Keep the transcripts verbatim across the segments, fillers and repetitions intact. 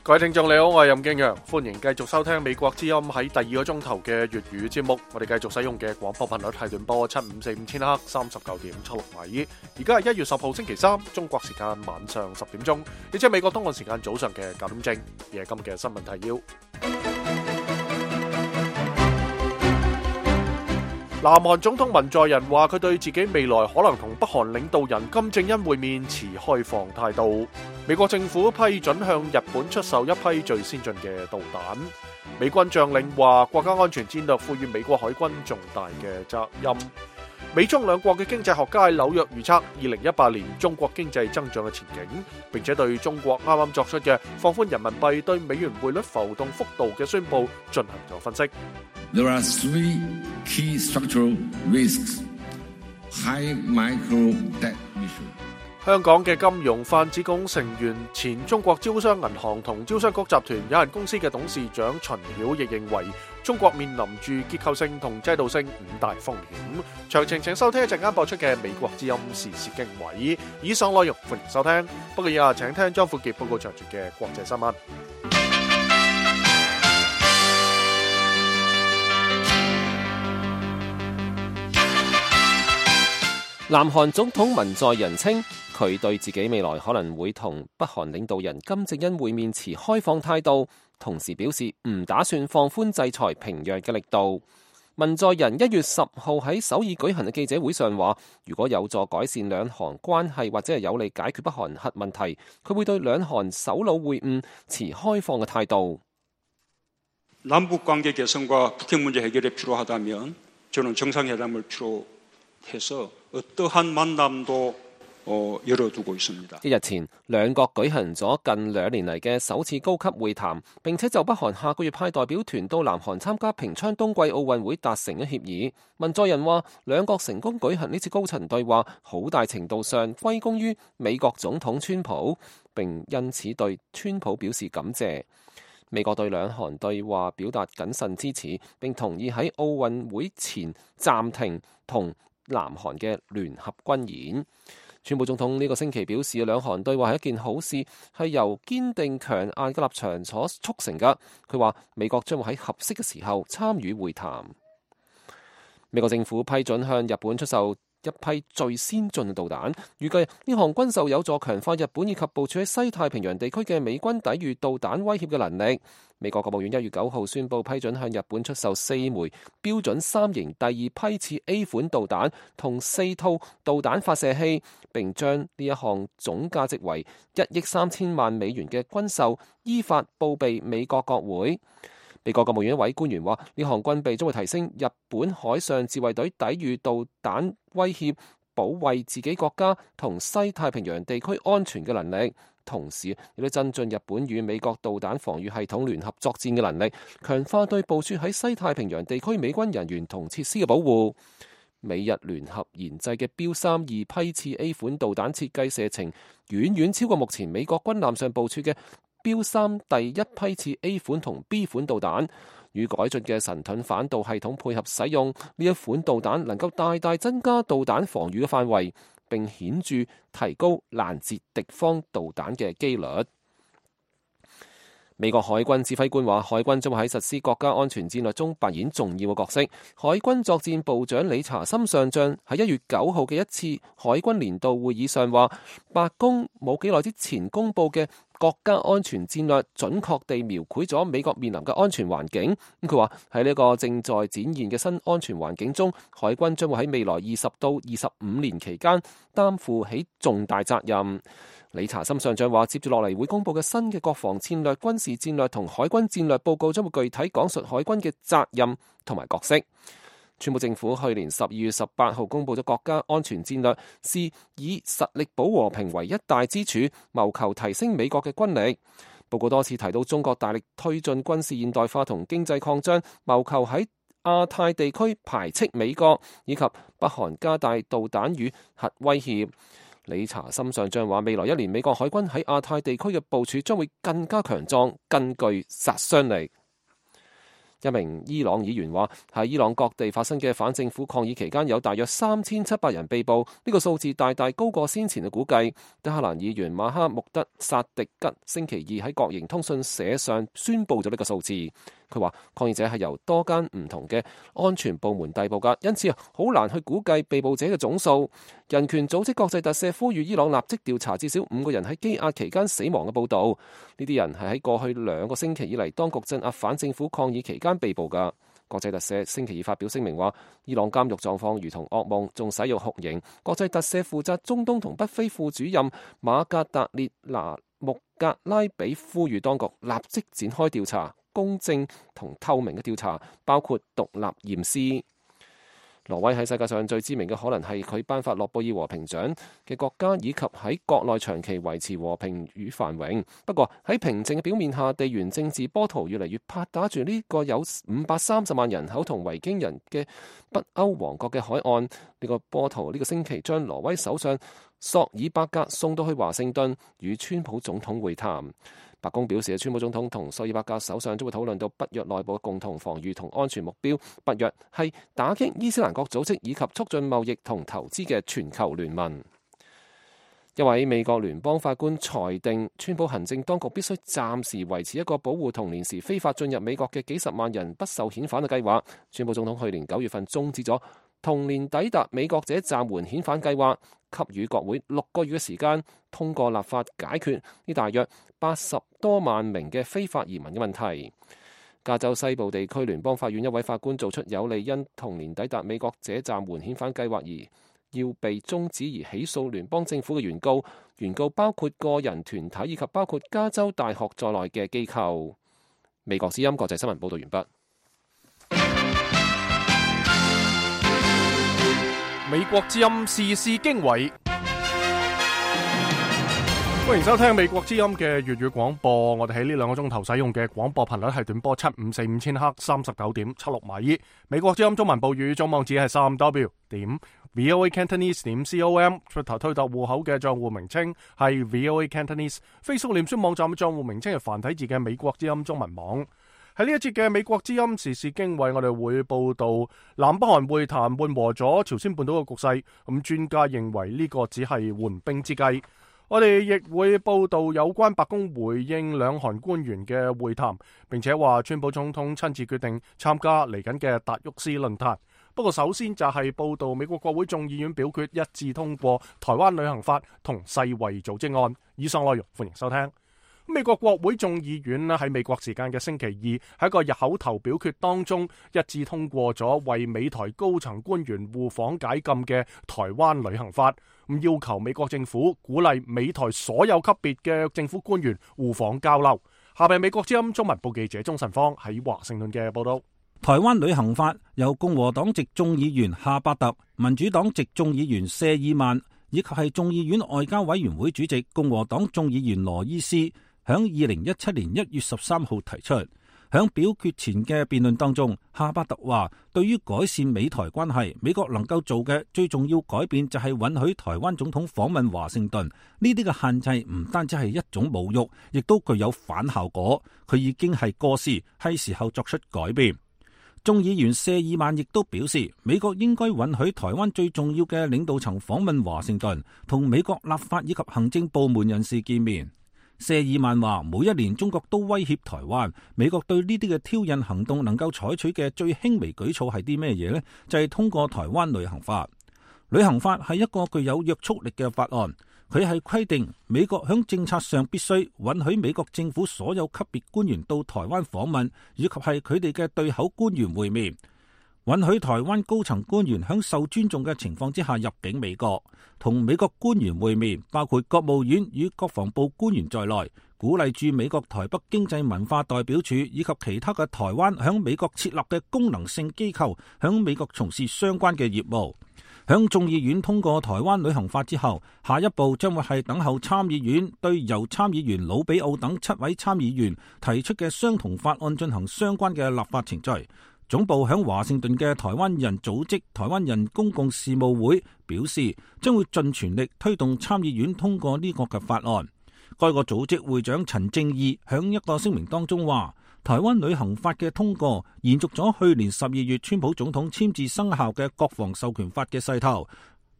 各位聽眾你好，我係任敬陽，歡迎繼續收聽美國之音喺第二個鐘頭嘅粵語節目。我哋繼續使用嘅廣播頻率係短波七五四五千赫三十九點七六米。而家係一月十號星期三，中國時間晚上十點鐘，亦即係美國東岸時間早上嘅九點正。而係今日嘅新聞提要。南韓總統文在寅話佢對自己未來可能同北韓領導人金正恩會面持開放態度。美國政府批准向日本出售一批最先進嘅導彈。美軍將領話國家安全戰略賦予美國海軍重大嘅責任。美中兩國嘅經濟學家喺紐約預測二零一八年中國經濟增長嘅前景，並且對中國啱啱作出嘅放寬人民幣對美元匯率浮動幅度嘅宣佈進行咗分析。There are three key structural risks. High micro debt issue. 香港嘅金融泛指共成員前中國招商銀行同招商局集團有限公司嘅董事長秦曉亦認為，中國面臨住結構性同制度性五大風險。詳情請收聽一陣間播出嘅美國之音時事經緯。以上內容歡迎收聽。不過以下請聽張富傑報告詳盡嘅國際新聞。南韓總統文在寅稱，佢對自己未來可能會同北韓領導人金正恩會面持開放態度，同時表示唔打算放寬制裁平壤嘅力度。文在寅一月十號喺首爾舉行嘅記者會上話，如果有助改善兩韓關係或者係有利解決北韓核問題，佢會對兩韓首腦會晤持開放嘅態度。남북관계개선과 북핵문제해결이 필요하다면 저는 정상회담을 필요해서 어떠한 만남도 열어두고 있습니다. 一日前，兩國舉行咗近兩年嚟嘅首次高級會談，並且就北韓下個月派代表團到南韓參加平昌冬季奧運會達成咗協議。文在寅話，兩國成功舉行呢次高層對話，好大程度上歸功於美國總統川普，並因此對川普表示感謝。美國對兩韓對話表達謹慎支持，並同意喺奧運會前暫停同南韓嘅聯合軍演。川普總統呢個星期表示，兩韓對話係一件好事，係由堅定強硬嘅立場所促成㗎。佢話美國將會喺合適嘅時候參與會談。美國政府批准向日本出售一批最先進嘅導彈，預計呢項軍售有助強化日本以及部署喺西太平洋地區嘅美軍抵禦導彈威脅嘅能力。美國國務院一月九號宣布批准向日本出售四枚標準三型第二批次 A 款導彈同四套導彈發射器，並將呢一項總價值為一億三千萬美元嘅軍售依法報備美國國會。美國國務院一位官員話，呢項軍備將會提升日本海上自衛隊抵禦導彈威脅、保衛自己國家同西太平洋地區安全嘅能力，同時亦都增進日本與美國導彈防禦系統聯合作戰嘅能力，強化對部署喺西太平洋地區美軍人員同設施嘅保護。美日聯合研製嘅標三二批次 A 款導彈設計射程遠遠超過目前美國軍艦上部署嘅標三第一批次 A 款同 B 款導彈，與改進嘅神盾反導系統配合使用，呢一款導彈能夠大大增加導彈防禦嘅範圍，並顯著提高攔截敵方導彈嘅機率。美國海軍指揮官話，海軍將會喺實施國家安全戰略中扮演重要嘅角色。海軍作戰部長理查森上將喺一月九號嘅一次海軍年度會議上話，白宮冇幾耐之前公佈嘅國家安全戰略準確地描繪咗美國面臨嘅安全環境。咁佢話喺呢個正在展現嘅新安全環境中，海軍將會喺未來二十到二十五年期間擔負起重大責任。理查森上將話，接住落嚟會公佈嘅新嘅國防戰略、軍事戰略同海軍戰略報告將會具體講述海軍嘅責任同埋角色。川普政府去年十二月十八號公佈咗國家安全戰略，是以實力保和平為一大支柱，謀求提升美國嘅軍力。報告多次提到中國大力推進軍事現代化同經濟擴張，謀求喺亞太地區排斥美國，以及北韓加大導彈與核威脅。理查森上將話，未來一年美國海軍喺亞太地區嘅部署將會更加強壯，更具殺傷力。一名伊朗議員話，喺伊朗各地發生嘅反政府抗議期間，有大約三千七百人被捕，呢個數字大大高過先前嘅估計。德黑蘭議員馬哈穆德薩迪吉星期二喺國營通訊社上宣布咗呢個數字。佢話抗議者係由多間唔同嘅安全部門逮捕㗎，因此啊好難去估計被捕者嘅總數。人權組織國際特赦呼籲伊朗立即調查至少五個人喺羈押期間死亡嘅報導。呢啲人係喺過去兩個星期以嚟當局鎮壓反政府抗議期間被捕㗎。國際特赦星期二發表聲明話，伊朗監獄狀況如同噩夢，仲使用酷刑。國際特赦負責中東同北非副主任馬格達列拿穆格拉比呼籲當局立即展開調查，公正同透明嘅調查，包括獨立驗屍。挪威喺世界上最知名嘅可能係佢頒發諾貝爾和平獎嘅國家，以及喺國內長期維持和平與繁榮。不過喺平靜嘅表面下，地緣政治波濤越嚟越拍打住呢個有五百三十萬人口同維京人嘅北歐王國嘅海岸。呢個波濤呢個星期將挪威首相索爾伯格送到去華盛頓與川普總統會談。白宮表示，川普總統同索爾伯格首相將會討論到北約內部嘅共同防禦同安全目標。北約係打擊伊斯蘭國組織以及促進貿易同投資嘅全球聯盟。一位美國聯邦法官裁定，川普行政當局必須暫時維持一個保護童年時非法進入美國嘅幾十萬人不受遣返嘅計劃。川普總統去年九月份終止咗童年抵達美國者暫緩遣返計劃，給予國會六個月嘅時間通過立法解決呢大約八十多萬名嘅非法移民嘅問題。加州西部地區聯邦法院一位法官做出有利因童年抵達美國者暫緩遣返計劃而要被終止而起訴聯邦政府嘅原告，原告包括個人團體以及包括加州大學在內嘅機構。美國之音國際新聞報道完畢。美國之音時事經緯，歡迎收聽美國之音嘅粵語廣播。我哋喺呢兩個鐘頭使用嘅廣播頻率係短波七五四五千赫三十九點七六米。美國之音中文報語總網址係三 W 點 V O A Cantonese 點 C O M。出頭推特戶口嘅賬戶名稱係 V O A Cantonese。Facebook 臉書網站嘅賬戶名稱係繁體字嘅美國之音中文網。喺呢一節嘅美國之音時事經緯，我哋會報道南北韓會談緩和咗朝鮮半島嘅局勢，咁專家認為呢個只係緩兵之計。我哋亦會報道有關白宮回應兩韓官員嘅會談，並且話川普總統親自決定參加嚟緊嘅達沃斯論壇。不過首先就係報道美國國會眾議院表決一致通過台灣旅行法同世衛組織案。以上內容歡迎收聽。美國國會眾議院喺美國時間嘅星期二喺一個日口頭表決當中一致通過咗為美台高層官員互訪解禁嘅台灣旅行法，咁要求美國政府鼓勵美台所有級別嘅政府官員互訪交流。下邊美國之音中文部記者鍾晨芳喺華盛頓嘅報道。台灣旅行法由共和黨籍眾議員夏伯特、民主黨籍眾議員謝爾曼以及係眾議院外交委員會主席共和黨眾議員羅伊斯響二零一七年一月十三號提出。響表決前嘅辯論當中，夏伯特話，對於改善美台關係，美國能夠做嘅最重要改變就係允許台灣總統訪問華盛頓。呢啲嘅限制唔單止係一種侮辱，亦都具有反效果。佢已經係過時，係時候作出改變。眾議員謝爾曼亦都表示，美國應該允許台灣最重要嘅領導層訪問華盛頓，同美國立法以及行政部門人士見面。謝爾曼話，每一年中國都威脅台灣，美國對呢啲嘅挑釁行動能夠採取嘅最輕微舉措係啲咩嘢呢？就係通過台灣旅行法。旅行法係一個具有約束力嘅法案，佢係規定美國響政策上必須允許美國政府所有級別官員到台灣訪問，以及係佢哋嘅對口官員會面。允許台灣高層官員喺受尊重嘅情況之下入境美國，同美國官員會面，包括國務院與國防部官員在內，鼓勵駐美國台北經濟文化代表處以及其他嘅台灣喺美國設立嘅功能性機構喺美國從事相關嘅業務。響眾議院通過台灣旅行法之後，下一步將會係等候參議院對由參議員魯比奧等七位參議員提出嘅相同法案進行相關嘅立法程序。總部響華盛頓嘅台灣人組織台灣人公共事務會表示，將會盡全力推動參議院通過呢個嘅法案。該個組織會長陳正義響一個聲明當中話，台灣旅行法嘅通過，延續咗去年十二月川普總統簽字生效嘅國防授權法嘅勢頭。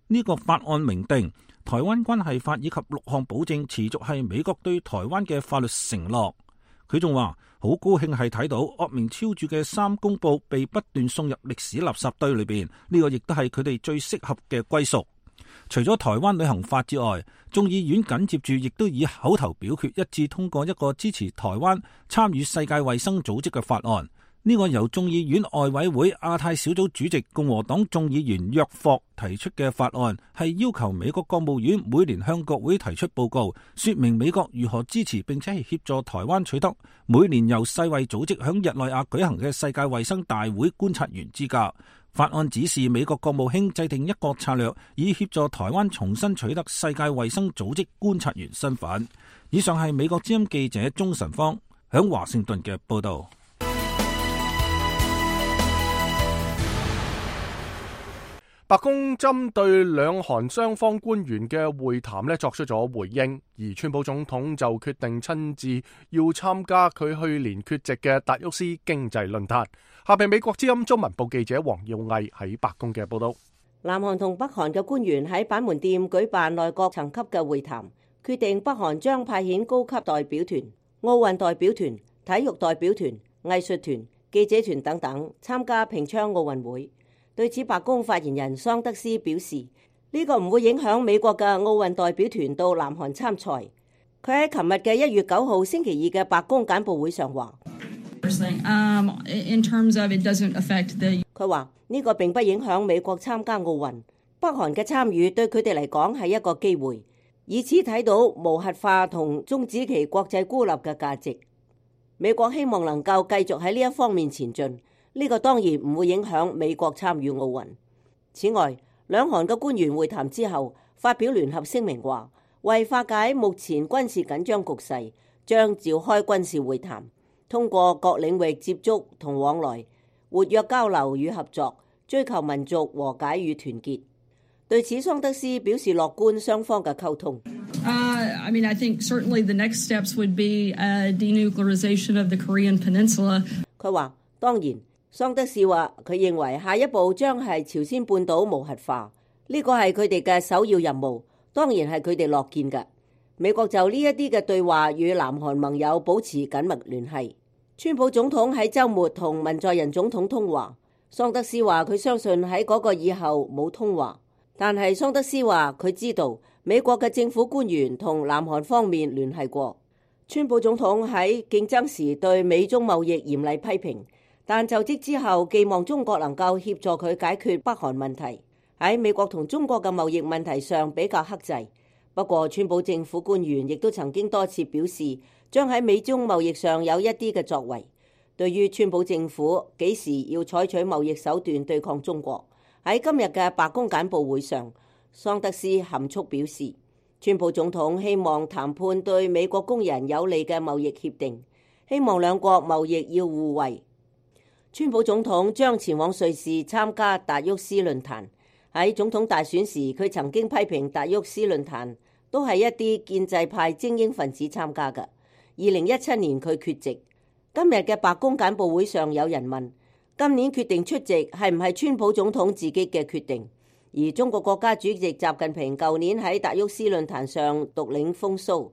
呢個法案明定，台灣關係法以及六項保證持續係美國對台灣嘅法律承諾。佢仲話好高興係睇到惡名昭著嘅三公報被不斷送入歷史垃圾堆裏邊，呢個亦都係佢哋最適合嘅歸屬。除咗台灣旅行法之外，眾議院緊接住亦都以口頭表決一致通過一個支持台灣參與世界衛生組織嘅法案。呢個由眾議院外委會亞太小組主席共和黨眾議員約霍提出嘅法案，係要求美國國務院每年向國會提出報告，說明美國如何支持並且係協助台灣取得每年由世衛組織響日內瓦舉行嘅世界衛生大會觀察員資格。法案指示美國國務卿制定一個策略，以協助台灣重新取得世界衛生組織觀察員身份。以上係美國之音記者鍾晨芳響華盛頓嘅報道。白宮針對兩韓雙方官員嘅會談咧作出咗回應，而川普總統就決定親自要參加佢去年缺席嘅達沃斯經濟論壇。下邊美國之音中文部記者黃耀毅喺白宮嘅報道。南韓同北韓嘅官員喺板門店舉辦內閣層級嘅會談，決定北韓將派遣高級代表團、奧運代表團、體育代表團、藝術團、記者團等等參加平昌奧運會。對此，白宮發言人桑德斯表示，呢個唔會影響美國嘅奧運代表團到南韓參賽。佢喺琴日嘅一月九號星期二嘅白宮簡報會上話，佢話呢個並不影響美國參加奧運，北韓嘅參與對佢哋嚟講係一個機會，以此睇到無核化同終止其國際孤立嘅價值。美國希望能夠繼續喺呢一方面前進。呢個當然唔會影響美國參與奧運。此外，兩韓嘅官員會談之後，發表聯合聲明話，為化解目前軍事緊張局勢，將召開軍事會談，通過各領域接觸同往來，活躍交流與合作，追求民族和解與團結。對此，桑德斯表示樂觀雙方嘅溝通。Uh, I mean, I think certainly the next steps would be a denuclearization of the Korean Peninsula. 佢話當然。桑德士話：佢認為下一步將係朝鮮半島無核化，呢個係佢哋嘅首要任務，當然係佢哋樂見嘅。美國就呢一啲嘅對話與南韓盟友保持緊密聯繫。川普總統喺週末同文在寅總統通話，桑德斯話佢相信喺嗰個以後冇通話，但係桑德斯話佢知道美國嘅政府官員同南韓方面聯繫過。川普總統喺競爭時對美中貿易嚴厲批評。但就職之後，寄望中國能夠協助佢解決北韓問題。喺美國同中國嘅貿易問題上比較克制。不過，川普政府官員亦都曾經多次表示，將喺美中貿易上有一啲嘅作為。對於川普政府幾時要採取貿易手段對抗中國，喺今日嘅白宮簡報會上，桑德斯含蓄表示，川普總統希望談判對美國工人有利嘅貿易協定，希望兩國貿易要互惠。川普總統將前往瑞士參加達沃斯論壇。喺總統大選時，佢曾經批評達沃斯論壇都係一啲建制派精英分子參加嘅。二零一七年佢缺席。今日嘅白宮簡報會上有人問，今年決定出席係唔係川普總統自己嘅決定？而中國國家主席習近平舊年喺達沃斯論壇上獨領風騷，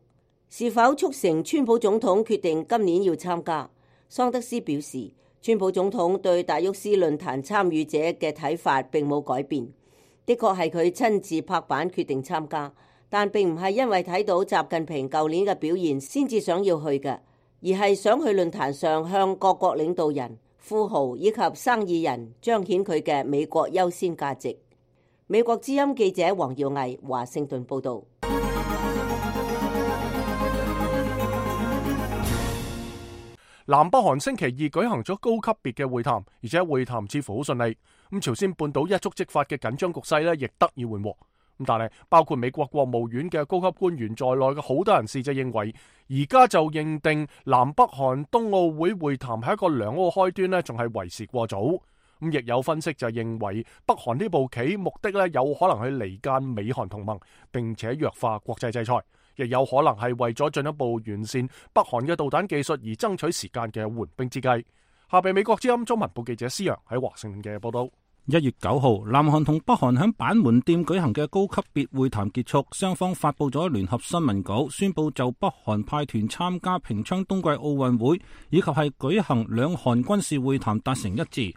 是否促成川普總統決定今年要參加？桑德斯表示，川普總統對達沃斯論壇參與者嘅睇法並冇改變，的確係佢親自拍板決定參加，但並唔係因為睇到習近平舊年嘅表現先至想要去嘅，而係想去論壇上向各國領導人、富豪以及生意人彰顯佢嘅美國優先價值。美國之音記者黃耀毅華盛頓報導。南北韓星期二舉行咗高級別嘅會談，而且會談似乎好順利。咁朝鮮半島一觸即發嘅緊張局勢咧，亦得以緩和。咁但係包括美國國務院嘅高級官員在內嘅好多人士就認為，而家就認定南北韓冬奧會會談係一個良好開端咧，仲係為時過早。咁亦有分析就認為，北韓呢步棋目的咧有可能去離間美韓同盟，並且弱化國際制裁，亦有可能係為咗進一步完善北韓嘅導彈技術而爭取時間嘅緩兵之計。下邊美國之音中文部記者施洋喺華盛頓嘅報道。一月九號，南韓同北韓喺板門店舉行嘅高級別會談結束，雙方發佈咗聯合新聞稿，宣布就北韓派團參加平昌冬季奧運會以及係舉行兩韓軍事會談達成一致。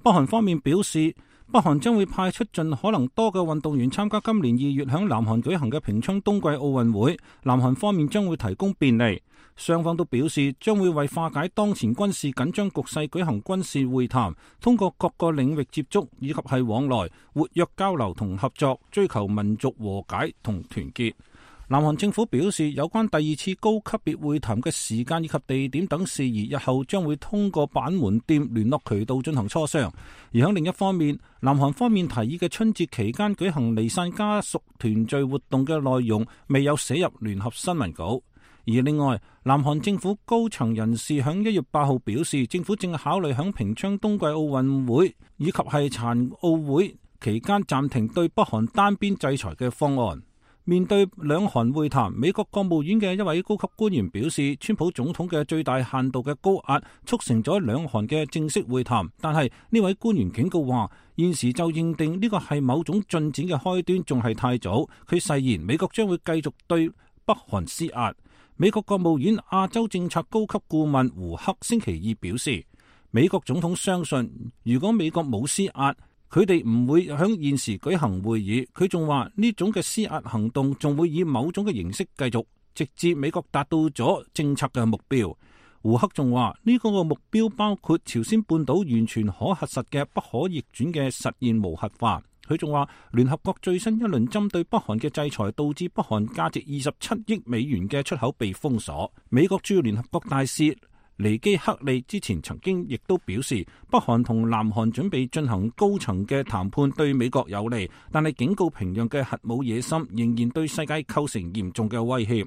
北韓方面表示，北韓將會派出盡可能多嘅運動員參加今年二月響南韓舉行嘅平昌冬季奧運會，南韓方面將會提供便利。雙方都表示將會為化解當前軍事緊張局勢舉行軍事會談，通過各個領域接觸以及係往來，活躍交流同合作，追求民族和解同團結。南韓政府表示，有關第二次高級別會談嘅時間以及地點等事宜，日後將會通過板門店聯絡渠道進行磋商。而喺另一方面，南韓方面提議嘅春節期間舉行離散家屬團聚活動嘅內容，未有寫入聯合新聞稿。而另外，南韓政府高層人士響一月八號表示，政府正考慮響平昌冬季奧運會以及係殘奧會期間暫停對北韓單邊制裁嘅方案。面對兩韓會談，美國國務院嘅一位高級官員表示，川普總統嘅最大限度嘅高壓促成咗兩韓嘅正式會談，但係呢位官員警告話，現時就認定呢個係某種進展嘅開端仲係太早。佢誓言美國將會繼續對北韓施壓。美國國務院亞洲政策高級顧問胡克星期二表示，美國總統相信如果美國冇施壓，佢哋唔會響現時舉行會議。佢仲話呢種嘅施壓行動仲會以某種嘅形式繼續，直至美國達到咗政策嘅目標。胡克仲話呢個個目標包括朝鮮半島完全可核實嘅不可逆轉嘅實現無核化。佢仲話，聯合國最新一輪針對北韓嘅制裁，導致北韓價值二十七億美元嘅出口被封鎖。美國駐聯合國大使尼基克利之前曾經亦都表示，北韓同南韓準備進行高層嘅談判對美國有利，但係警告平壤嘅核武野心仍然對世界構成嚴重嘅威脅。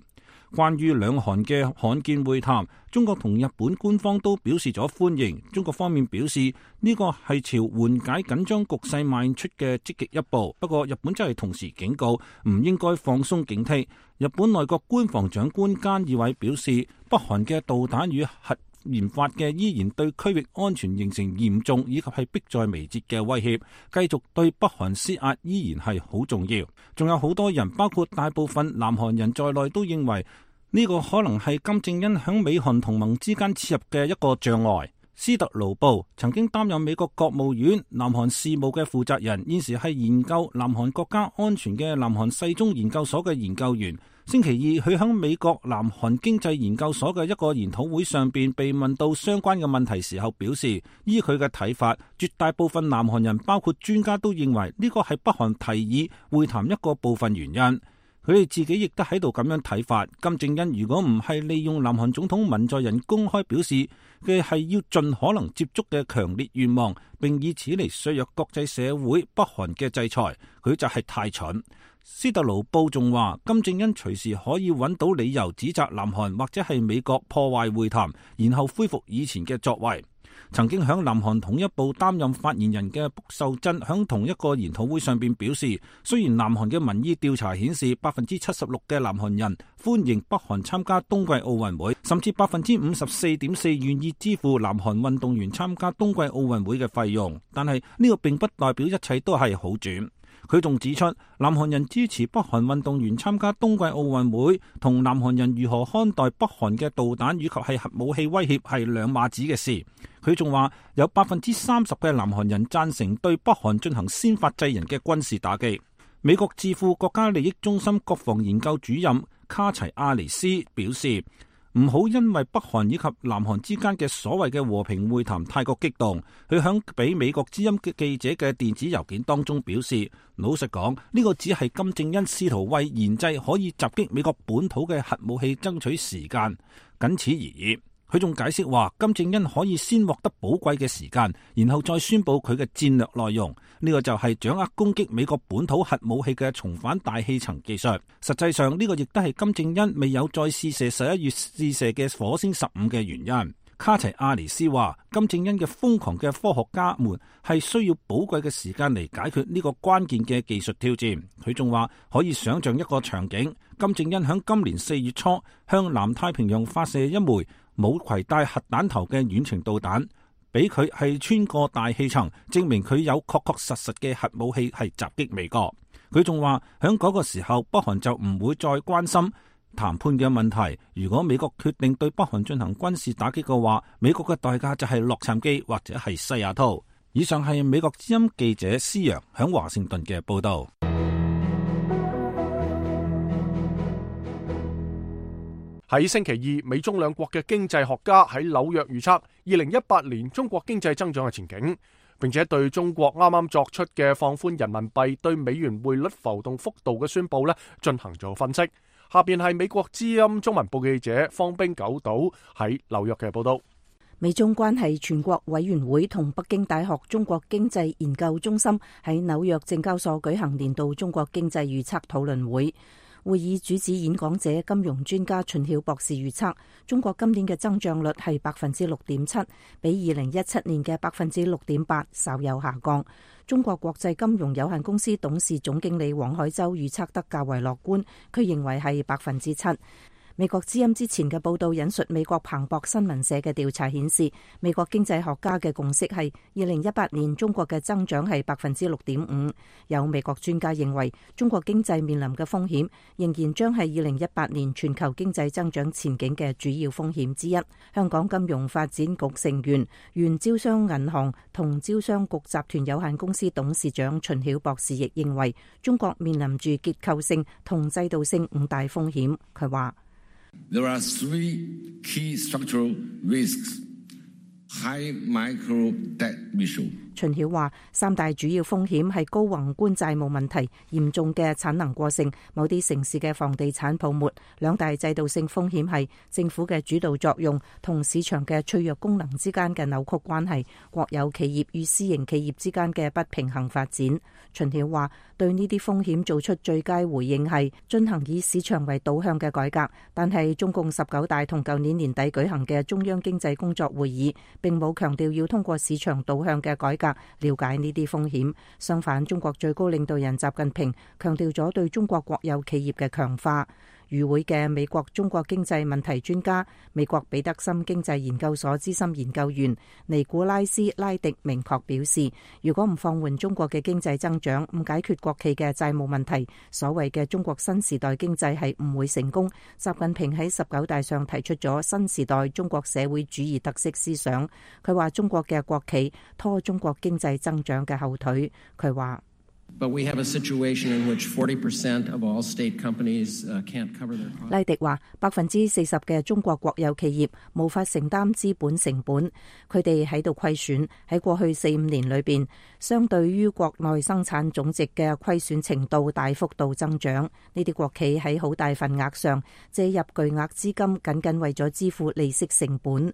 關於兩韓嘅罕見會談，中國同日本官方都表示咗歡迎。中國方面表示呢個係朝緩解緊張局勢邁出嘅積極一步，不過日本真係同時警告唔應該放鬆警惕。日本內閣官房長官菅義偉表示，北韓嘅導彈與核研發嘅依然對區域安全形成嚴重以及係迫在眉睫嘅威脅，繼續對北韓施壓依然係好重要。仲有好多人，包括大部分南韓人在內，都認為呢個可能係金正恩響美韓同盟之間切入嘅一個障礙。斯特勞布曾經擔任美國國務院南韓事務嘅負責人，現時係研究南韓國家安全嘅南韓世宗研究所嘅研究員。星期二，佢響美國南韓經濟研究所嘅一個研討會上邊被問到相關嘅問題時候，表示依佢嘅睇法，絕大部分南韓人包括專家都認為呢個係北韓提議會談一個部分原因。佢哋自己亦都喺度咁樣睇法。金正恩如果唔係利用南韓總統文在寅公開表示嘅係要盡可能接觸嘅強烈願望，並以此嚟削弱國際社會北韓嘅制裁，佢就係太蠢。斯特勞布仲話，金正恩隨時可以揾到理由指責南韓或者係美國破壞會談，然後恢復以前嘅作為。曾經響南韓統一部擔任發言人嘅卜秀珍響同一個研討會上邊表示，雖然南韓嘅民意調查顯示百分之七十六嘅南韓人歡迎北韓參加冬季奧運會，甚至百分之五十四點四願意支付南韓運動員參加冬季奧運會嘅費用，但係呢個並不代表一切都係好轉。佢仲指出，南韓人支持北韓運動員參加冬季奧運會，同南韓人如何看待北韓嘅導彈以及係核武器威脅係兩碼子嘅事。佢仲話，有百分之三十嘅南韓人贊成對北韓進行先發制人嘅軍事打擊。美國智庫國家利益中心國防研究主任卡齊亞尼斯表示，唔好因為北韓以及南韓之間嘅所謂嘅和平會談太過激動。佢響俾美國之音嘅記者嘅電子郵件當中表示，老實講，呢個只係金正恩試圖為研製可以襲擊美國本土嘅核武器爭取時間，僅此而已。佢仲解釋話，金正恩可以先獲得寶貴嘅時間，然後再宣佈佢嘅戰略內容。呢個就係掌握攻擊美國本土核武器嘅重返大氣層技術。實際上，呢個亦都係金正恩未有再試射十一月試射嘅火星十五嘅原因。卡齊亞尼斯話，金正恩嘅瘋狂嘅科學家們係需要寶貴嘅時間嚟解決呢個關鍵嘅技術挑戰。佢仲話可以想象一個場景，金正恩響今年四月初向南太平洋發射一枚冇攜帶核彈頭嘅遠程導彈，俾佢係穿過大氣層，證明佢有確確實實嘅核武器係襲擊美國。佢仲話響嗰個時候，北韓就唔會再關心談判嘅問題。如果美國決定對北韓進行軍事打擊嘅話，美國嘅代價就係洛杉磯或者係西雅圖。以上係美國之音記者施洋響華盛頓嘅報道。喺星期二，美中兩國嘅經濟學家喺紐約預測二零一八年中國經濟增長嘅前景，並且對中國啱啱作出嘅放寬人民幣對美元匯率浮動幅度嘅宣布咧進行咗分析。下邊係美國之音中文部記者方冰九島喺紐約嘅報道。美中關係全國委員會同北京大學中國經濟研究中心喺紐約證交所舉行年度中國經濟預測討論會。會議主旨演講者金融專家秦曉博士預測，中國今年嘅增長率係百分之六點七，比二零一七年嘅百分之六點八稍有下降。中國國際金融有限公司董事總經理黃海洲預測得較為樂觀，佢認為係百分之七。美國之音之前嘅報道引述美國彭博新聞社嘅調查顯示，美國經濟學家嘅共識係二零一八年中國嘅增長係百分之六點五。有美國專家認為，中國經濟面臨嘅風險仍然將係二零一八年全球經濟增長前景嘅主要風險之一。香港金融發展局成員、原招商銀行同招商局集團有限公司董事長秦曉博士亦認為，中國面臨住結構性同制度性五大風險。佢話There are three key structural risks: high micro debt issue. 秦曉話，三大主要風險係高宏觀債務問題、嚴重嘅產能過剩、某啲城市嘅房地產泡沫。兩大制度性風險係政府嘅主導作用同市場嘅脆弱功能之間嘅扭曲關係，國有企業與私營企業之間嘅不平衡發展。秦曉話，對呢啲風險做出最佳回應係進行以市場為導向嘅改革，但係中共十九大同舊年年底舉行嘅中央經濟工作會議並冇強調要通過市場導向嘅改革了解呢啲風險。相反，中國最高領導人習近平強調咗對中國國有企業嘅強化。與會嘅美國中國經濟問題專家、美國彼得森經濟研究所資深研究員尼古拉斯拉迪明確表示，如果唔放緩中國嘅經濟增長，唔解決國企嘅債務問題，所謂嘅中國新時代經濟係唔會成功。習近平喺十九大上提出咗新時代中國社會主義特色思想，佢話中國嘅國企拖中國經濟增長嘅後腿。佢話But we have a situation in which forty percent of all state companies can't cover their costs. 拉迪話，百分之四十嘅中國國有企業無法承擔資本成本，佢哋喺度虧損。喺過去四五年裏邊，相對於國內生產總值嘅虧損程度大幅度增長。呢啲國企喺好大份額上借入巨額資金，僅僅為咗支付利息成本。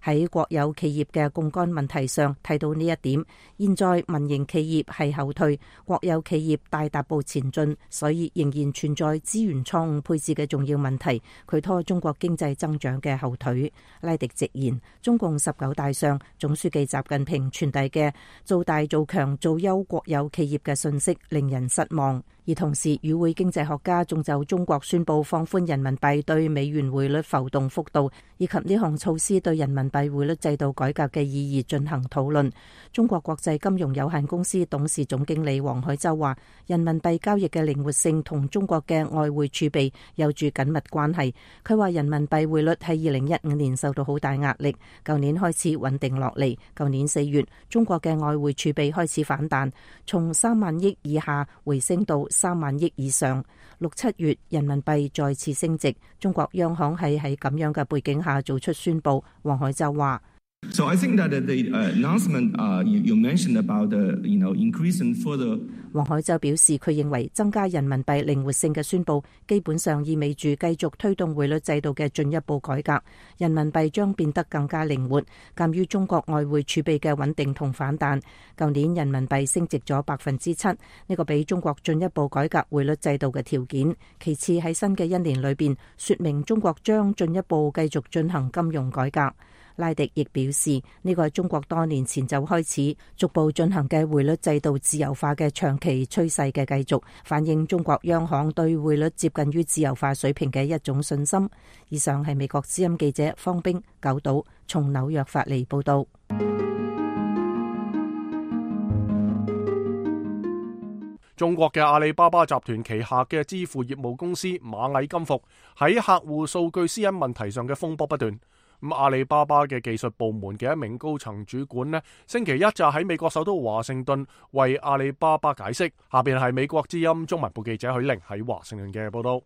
喺國有企業嘅槓桿問題上睇到呢一點，現在民營企業係後退，國有企業大踏步前進，所以仍然存在資源錯誤配置嘅重要問題，佢拖中國經濟增長嘅後腿。拉迪直言，中共十九大上總書記習近平傳遞嘅做大做強做優國有企業嘅信息令人失望。而同時，與會經濟學家仲就中國宣布放寬人民幣對美元匯率浮動幅度，以及呢項措施對人民幣匯率制度改革嘅意義進行討論。中國國際金融有限公司董事總經理黃海洲話，人民幣交易嘅靈活性同中國嘅外匯儲備有住緊密關係。佢話人民幣匯率喺二零一五年受到好大壓力，舊年開始穩定落嚟。舊年四月，中國嘅外匯儲備開始反彈，從三萬億以下回升到三萬億以上。六七月人民幣再次升值，中國央行係喺咁樣嘅背景下做出宣布。黃海洲話So I think that the announcement you you mentioned about the you know increasing further。黃海洲表示，佢認為增加人民幣靈活性嘅宣布，基本上意味住繼續推動匯率制度嘅進一步改革。人民幣將變得更加靈活。鑑於中國外匯儲備嘅穩定同反彈，舊年人民幣升值咗百分之七，呢個俾中國進一步改革匯率制度嘅條件。其次喺新嘅一年裏邊，說明中國將進一步繼續進行金融改革。拉迪亦表示，呢個係中國多年前就開始逐步進行嘅匯率制度自由化嘅長期趨勢嘅繼續，反映中國央行對匯率接近於自由化水平嘅一種信心。以上係美國之音記者方冰九島從紐約發嚟報道。中國嘅阿里巴巴集團旗下嘅支付業務公司螞蟻金服喺客戶數據私隱問題上嘅風波不斷。咁阿里巴巴嘅技術部門嘅一名高層主管呢，星期一就喺美國首都華盛頓為阿里巴巴解釋。下邊係美國之音中文部記者許玲喺華盛頓嘅報道。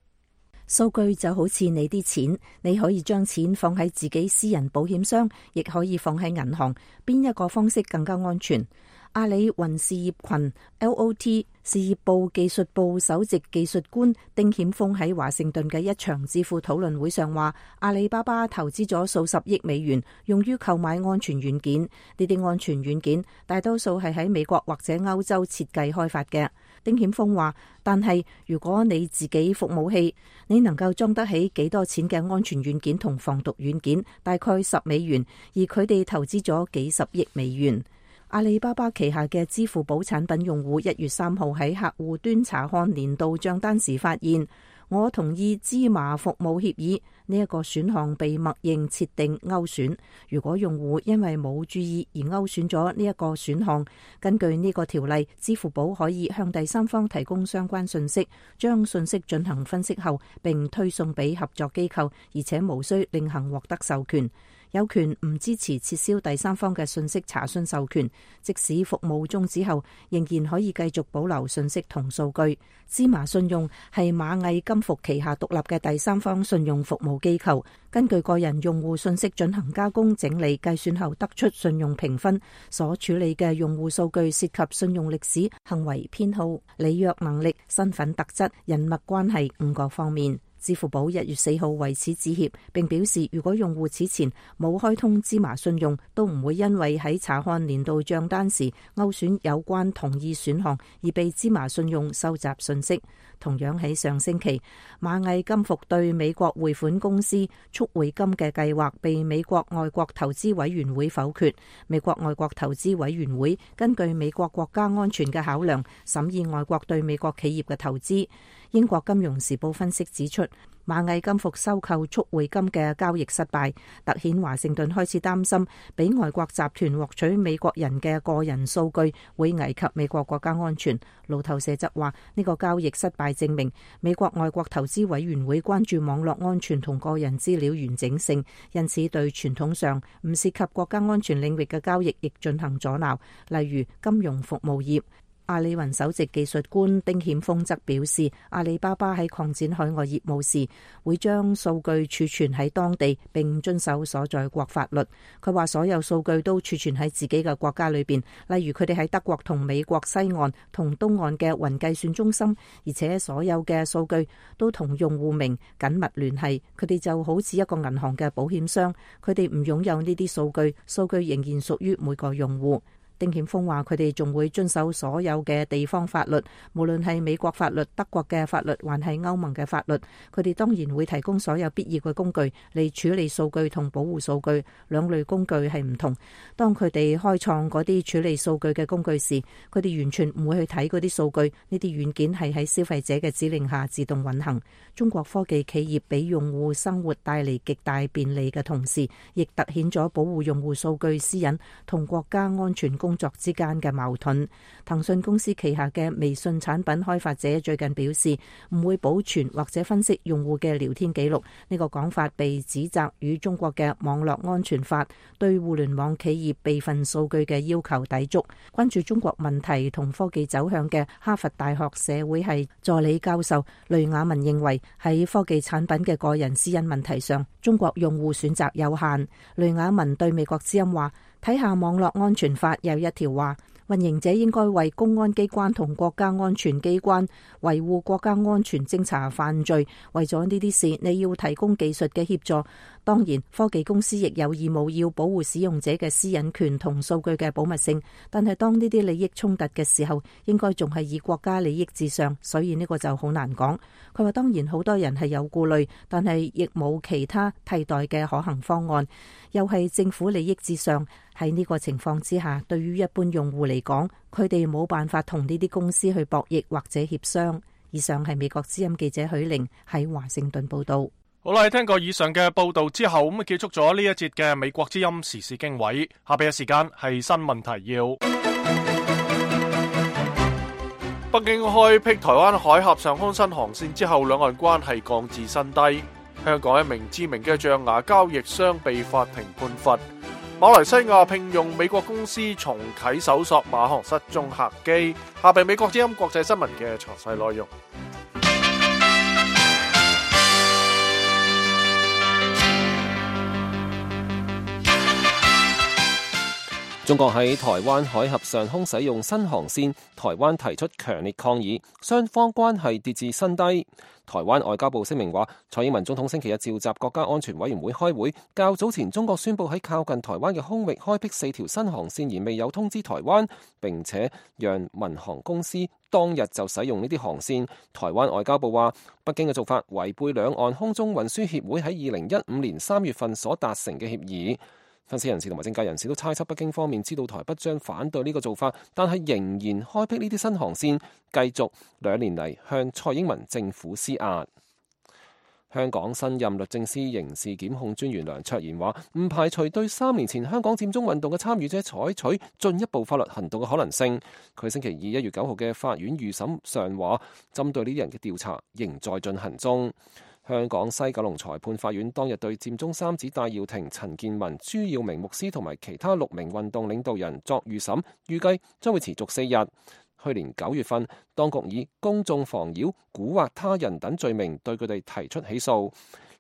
數據就好似你啲錢，你可以將錢放喺自己私人保險箱，亦可以放喺銀行，邊一個方式更加安全？阿里雲事業群 L O T 事業部技術部首席技術官丁顯峰喺華盛頓嘅一場智庫討論會上話，阿里巴巴投資咗數十億美元用於購買安全軟件，呢啲安全軟件大多數係喺美國或者歐洲設計開發嘅。丁顯峰話，但係如果你自己服務器，你能夠裝得起幾多錢嘅安全軟件同防毒軟件？大概十美元，而佢哋投資咗幾十億美元。阿里巴巴旗下嘅支付寶產品用戶一月三號喺客戶端查看年度賬單時發現，我同意芝麻服務協議呢一個選項被默認設定勾選。如果用戶因為冇注意而勾選咗呢一個選項，根據呢個條例，支付寶可以向第三方提供相關信息，將信息進行分析後並推送俾合作機構，而且無需另行獲得授權。有權唔支持撤銷第三方嘅信息查詢授權，即使服務終止後，仍然可以繼續保留信息同數據。芝麻信用係螞蟻金服旗下獨立嘅第三方信用服務機構，根據個人用戶信息進行加工、整理、計算後得出信用評分。所處理嘅用戶數據涉及信用歷史、行為偏好、履約能力、身份特質、人脈關係五個方面。支付寶一月四號為此致歉，並表示如果用戶此前冇開通芝麻信用，都唔會因為喺查看年度賬單時勾選有關同意選項而被芝麻信用收集信息。同樣喺上星期，螞蟻金服對美國匯款公司速匯金嘅計劃被美國外國投資委員會否決。美國外國投資委員會根據美國國家安全嘅考量，審議外國對美國企業嘅投資。英國金融時報分析指出，螞蟻金服收購速匯金嘅交易失敗，凸顯華盛頓開始擔心俾外國集團獲取美國人嘅個人數據會危及美國國家安全。路透社則話，呢個交易失敗證明美國外國投資委員會關注網絡安全同個人資料完整性，因此對傳統上唔涉及國家安全領域嘅交易亦進行阻撓，例如金融服務業。阿里雲首席技術官丁顯峰則表示，阿里巴巴喺擴展海外業務時，會將數據儲存喺當地並遵守所在國法律。佢話所有數據都儲存喺自己嘅國家裏邊，例如佢哋喺德國同美國西岸同東岸嘅雲計算中心，而且所有嘅數據都同用戶名緊密聯繫。佢哋就好似一個銀行嘅保險箱，佢哋唔擁有呢啲數據，數據仍然屬於每個用戶。丁顯峰話：佢哋仲會遵守所有嘅地方法律，無論係美國法律、德國嘅法律，還係歐盟嘅法律。佢哋當然會提供所有必要嘅工具嚟處理數據同保護數據。兩類工具係唔同。當佢哋開創嗰啲處理數據嘅工具時，佢哋完全唔會去睇嗰啲數據。呢啲軟件係喺消費者嘅指令下自動運行。中國科技企業俾用戶生活帶嚟極大便利嘅同時，亦凸顯咗保護用戶數據私隱同國家安全工作之間嘅矛盾。騰訊公司旗下嘅微信產品開發者最近表示，唔會保存或者分析用戶嘅聊天記錄。呢個講法被指責與中國嘅網絡安全法對互聯網企業備份數據嘅要求抵觸。關注中國問題同科技走向嘅哈佛大學社會系助理教授雷雅文認為，喺科技產品嘅個人私隱問題上，中國用戶選擇有限。雷雅文對美國之音話，睇下網絡安全法有一條話，運營者應該為公安機關同國家安全機關維護國家安全偵查犯罪。為咗呢啲事，你要提供技術嘅協助。當然，科技公司亦有義務要保護使用者嘅私隱權同數據嘅保密性。但係當呢啲利益衝突嘅時候，應該仲係以國家利益至上，所以呢個就好難講。佢話當然好多人係有顧慮，但係亦冇其他替代嘅可行方案，又係政府利益至上。喺呢個情況之下，對於一般用戶嚟講，佢哋冇辦法同呢啲公司去博弈或者協商。以上係美國之音記者許玲喺華盛頓報道。好啦，聽過以上嘅報道之後，咁啊結束咗呢一節嘅美國之音時事經緯。下邊嘅時間係新聞提要。北京開闢台灣海峽上空新航線之後，兩岸關係降至新低。香港一名知名嘅象牙交易商被法庭判罰。馬來西亞聘用美國公司重啟搜索馬航失蹤客機。下邊美國之音國際新聞嘅詳細內容。中國喺台灣海峽上空使用新航線，台灣提出強烈抗議，雙方關係跌至新低。台灣外交部聲明話，蔡英文總統星期日召集國家安全委員會開會，較早前中國宣布喺靠近台灣嘅空域開闢四條新航線，而未有通知台灣，並且讓民航公司當日就使用呢啲航線。台灣外交部話，北京嘅做法違背兩岸空中運輸協會喺二零一五年三月份所達成嘅協議。分析人士同埋政界人士都猜測北京方面知道台北將反對呢個做法，但係仍然開闢呢啲新航線，繼續兩年嚟向蔡英文政府施壓。香港新任律政司刑事檢控專員梁卓賢話，唔排除對三年前香港佔中運動嘅參與者採取進一步法律行動嘅可能性。佢星期二一月九號嘅法院預審上話，針對呢啲人嘅調查仍在進行中。香港西九龍裁判法院當日對佔中三子戴耀廷、陳健民、朱耀明牧師同埋其他六名運動領導人作預審，預計將會持續四日。去年九月份，當局以公眾妨擾、蠱惑他人等罪名對佢哋提出起訴。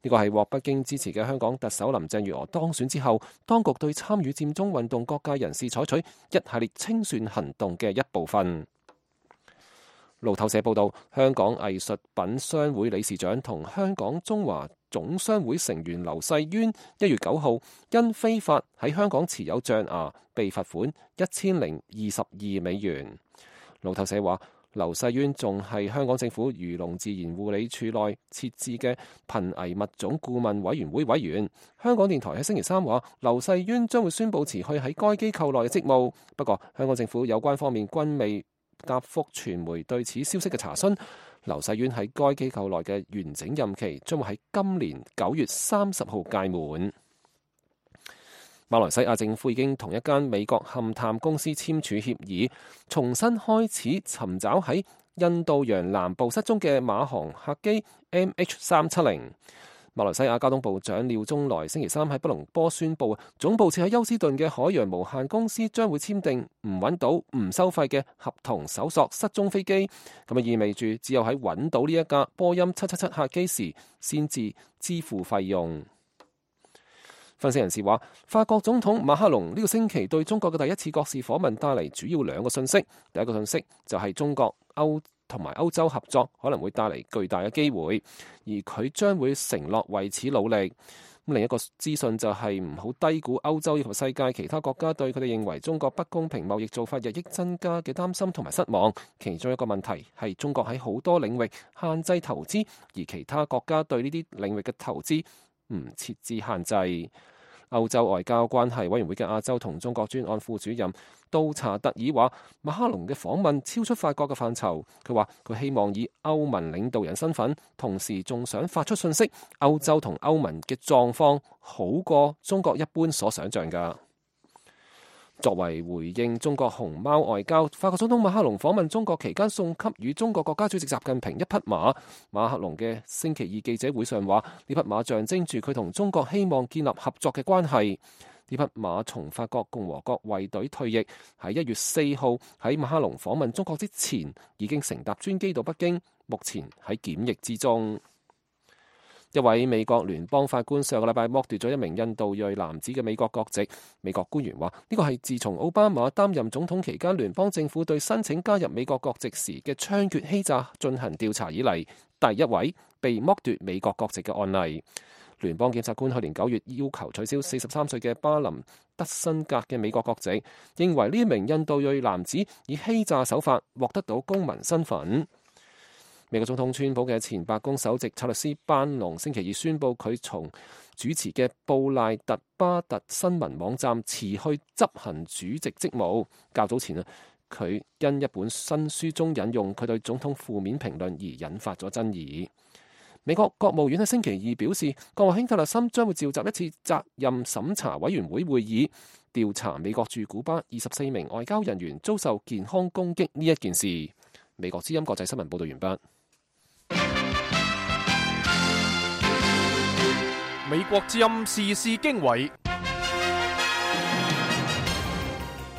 呢個係獲北京支持嘅香港特首林鄭月娥當選之後，當局對參與佔中運動各界人士採取一系列清算行動嘅一部分。路透社報道，香港藝術品商會理事長同香港中華總商會成員劉世淵一月九號因非法喺香港持有象牙被罰款一千零二十二美元。路透社話，劉世淵仲係香港政府漁農自然護理處內設置嘅瀕危物種顧問委員會委員。香港電台喺星期三話，劉世淵將會宣布辭去喺該機構內嘅職務。不過，香港政府有關方面均未答覆傳媒對此消息嘅查詢。劉世淵喺該機構內嘅完整任期將會喺今年九月三十號屆滿。馬來西亞政府已經同一間美國勘探公司簽署協議，重新開始尋找喺印度洋南部失蹤嘅馬航客機 M H 三七零。馬來西亞交通部長廖中來星期三喺吉隆坡宣布，總部設喺休斯頓嘅海洋無限公司將會簽訂唔揾到唔收費嘅合同搜索失蹤飛機，咁啊意味住只有喺揾到呢一架波音七七七客機時先至支付費用。分析人士話，法國總統馬克龍呢個星期對中國嘅第一次國事訪問帶嚟主要兩個信息。第一個信息就係中國歐同埋歐洲合作可能會帶嚟巨大嘅機會，而佢將會承諾為此努力。另一個資訊就係唔好低估歐洲以及世界其他國家對佢哋認為中國不公平貿易做法日益增加嘅擔心同埋失望。其中一個問題係中國喺好多領域限制投資，而其他國家對呢啲領域嘅投資唔設置限制。歐洲外交關係委員會嘅亞洲同中國專案副主任杜查特爾話，馬克龍嘅訪問超出法國嘅範疇。佢話佢希望以歐盟領導人身份，同時仲想發出信息，歐洲同歐盟嘅狀況好過中國一般所想象㗎。作為回應中國熊貓外交，法國總統馬克龍訪問中國期間送給予中國國家主席習近平一匹馬。馬克龍嘅星期二記者會上話，呢匹馬象徵住佢同中國希望建立合作嘅關係。呢匹馬從法國共和國衛隊退役，喺一月四號喺馬克龍訪問中國之前已經乘搭專機到北京，目前喺檢疫之中。一位美國聯邦法官上個禮拜剝奪咗一名印度裔男子嘅美國國籍。美國官員話呢個係自從奧巴馬擔任總統期間，聯邦政府對申請加入美國國籍時嘅槍決欺詐進行調查以嚟，第一位被剝奪美國國籍嘅案例。聯邦檢察官去年九月要求取消四十三歲嘅巴林德辛格嘅美國國籍，認為呢名印度裔男子以欺詐手法獲得到公民身份。美國總統川普嘅前白宮首席策略師班農星期二宣布，佢從主持嘅布賴特巴特新聞網站辭去執行主席職務。較早前啊，佢因一本新書中引用佢對總統負面評論而引發咗爭議。美國國務院喺星期二表示，國務卿特勒森將會召集一次責任審查委員會會議，調查美國駐古巴二十四名外交人員遭受健康攻擊呢一件事。美國之音國際新聞報道完畢。美國之音時事經緯。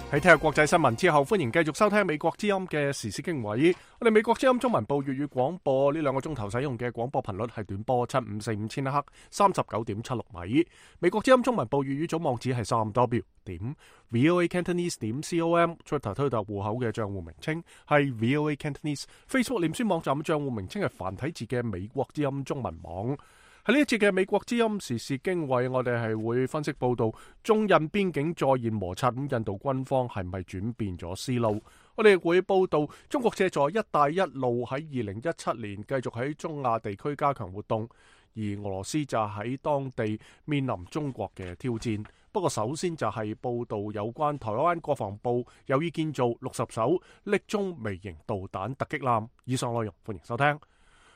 喺聽日國際新聞之後，歡迎繼續收聽美國之音嘅時事經緯。我哋美國之音中文部粵語廣播呢兩個鐘頭使用嘅廣播頻率係短波七五四五千赫，三十九點七六米。美國之音中文部粵語總網址係三 w 點 voa cantonese 點 com。Twitter 推特戶口嘅賬戶名稱係 voa cantonese。Facebook 臉書網站嘅賬戶名稱係繁體字嘅美國之音中文網。喺呢一節嘅美國之音時事經緯，我哋係會分析報道中印邊境再現摩擦，咁印度軍方係咪轉變咗思路？我哋亦會報道中國借助一帶一路喺二零一七年繼續喺中亞地區加強活動，而俄羅斯就喺當地面臨中國嘅挑戰。不過首先就係報道有關台灣國防部有意建造六十艘匿蹤微型導彈突擊艦。以上內容歡迎收聽。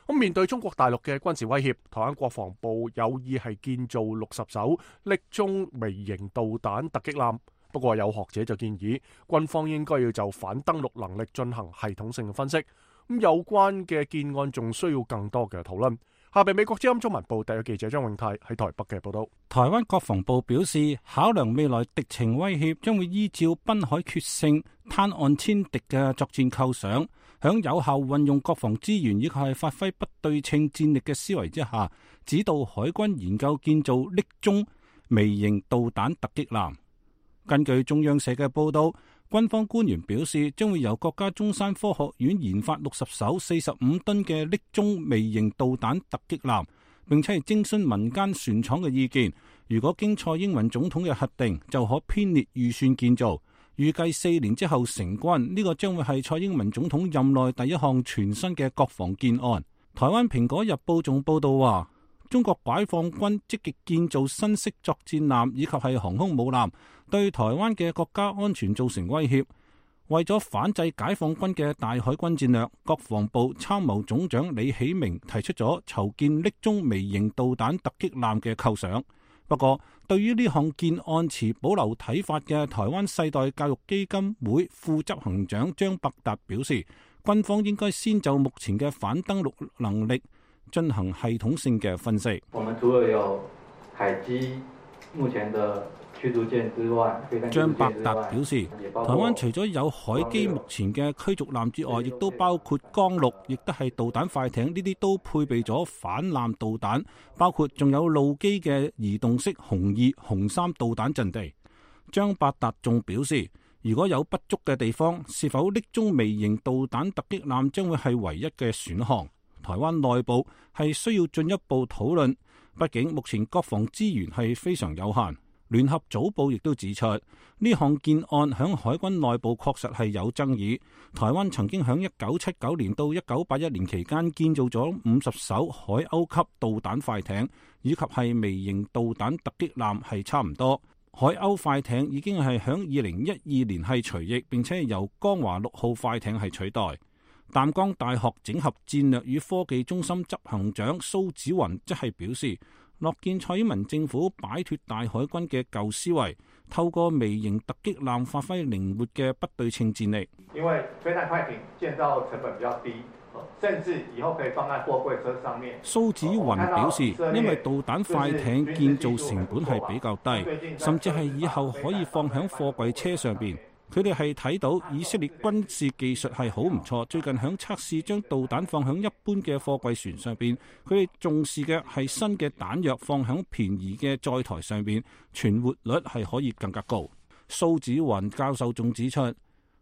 咁面對中國大陸嘅軍事威脅，台灣國防部有意係建造六十艘匿蹤微型導彈突擊艦。不過有學者就建議，軍方應該要就反登陸能力進行系統性嘅分析。咁有關嘅建案仲需要更多嘅討論。下邊美國之音中文部特約記者張永泰喺台北嘅報道。台灣國防部表示，考量未來敵情威脅，將會依照濱海決勝、灘岸殲敵嘅作戰構想，響有效運用國防資源以及係發揮不對稱戰力嘅思維之下，指導海軍研究建造匿蹤微型導彈突擊艦。根據中央社嘅報道，軍方官員表示，將會由國家中山科學院研發六十艘四十五噸嘅匿蹤微型導彈突擊艦，並且係徵詢民間船廠嘅意見。如果經蔡英文總統嘅核定，就可編列預算建造。預計四年之後成軍，呢、這個將會係蔡英文總統任內第一項全新嘅國防建案。台灣蘋果日報仲報道話，中國解放軍積極建造新式作戰艦以及係航空母艦，對台灣嘅國家安全造成威脅。為咗反制解放軍嘅大海軍戰略，國防部參謀總長李喜明提出咗籌建匿蹤微型導彈突擊艦嘅構想。不過，對於呢項建案持保留睇法嘅台灣世代教育基金會副執行長張伯達表示，軍方應該先就目前嘅反登陸能力進行系統性嘅分析。我們除了有海基目前的驅逐艦之外，張伯達表示，台灣除咗有海基目前嘅驅逐艦之外，亦都包括江陸，亦都係導彈快艇，呢啲都配備咗反艦導彈，包括仲有陸基嘅移動式紅二、紅三導彈陣地。張伯達仲表示，如果有不足嘅地方，是否匿蹤微型導彈突擊艦將會係唯一嘅選項。台灣內部係需要進一步討論，畢竟目前國防資源係非常有限。聯合早報亦都指出，呢項建案響海軍內部確實係有爭議。台灣曾經響一九七九年到一九八一年期間建造咗五十艘海鷗級導彈快艇，以及係微型導彈突擊艦係差唔多。海鷗快艇已經係響二零一二年係除役，並且由江華六號快艇係取代。淡江大學整合戰略與科技中心執行長蘇子雲即係表示，樂見蔡英文政府擺脫大海軍嘅舊思維，透過微型突擊艦發揮靈活嘅不對稱戰力。因為飛彈快艇建造成本比較低，甚至以後可以放在貨櫃車上面。蘇子雲表示，因為導彈快艇建造成本係比較低，甚至係以後可以放喺貨櫃車上邊。佢哋係睇到以色列軍事技術係好唔錯，最近響測試將導彈放響一般嘅貨櫃船上邊，佢哋重視嘅係新嘅彈藥放響便宜嘅載台上邊，存活率係可以更加高。蘇子雲教授仲指出，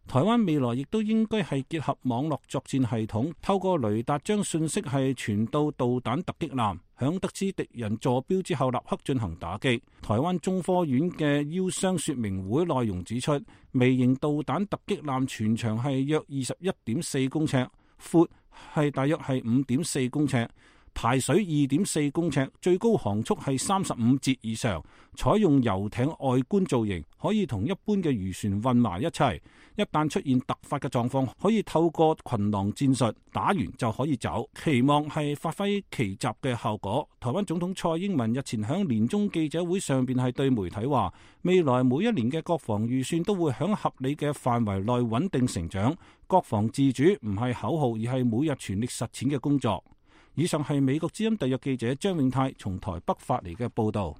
台灣未來亦都應該係結合網絡作戰系統，透過雷達將信息係傳到導彈突擊艦，響得知敵人坐標之後立刻進行打擊。台灣中科院嘅腰傷說明會內容指出，微型導彈突擊艦全長係約二十一點四公尺，闊係大約係五點四公尺，排水二點四公尺，最高航速係三十五節以上，採用遊艇外觀造型，可以同一般嘅漁船混埋一齊。一旦出現突發嘅狀況，可以透過群狼戰術打完就可以走，期望係發揮奇襲嘅效果。台灣總統蔡英文日前響年終記者會上邊係對媒體話，未來每一年嘅國防預算都會響合理嘅範圍內穩定成長，國防自主唔係口號，而係每日全力實踐嘅工作。以上係美國之音特約記者張永泰從台北發嚟嘅報道。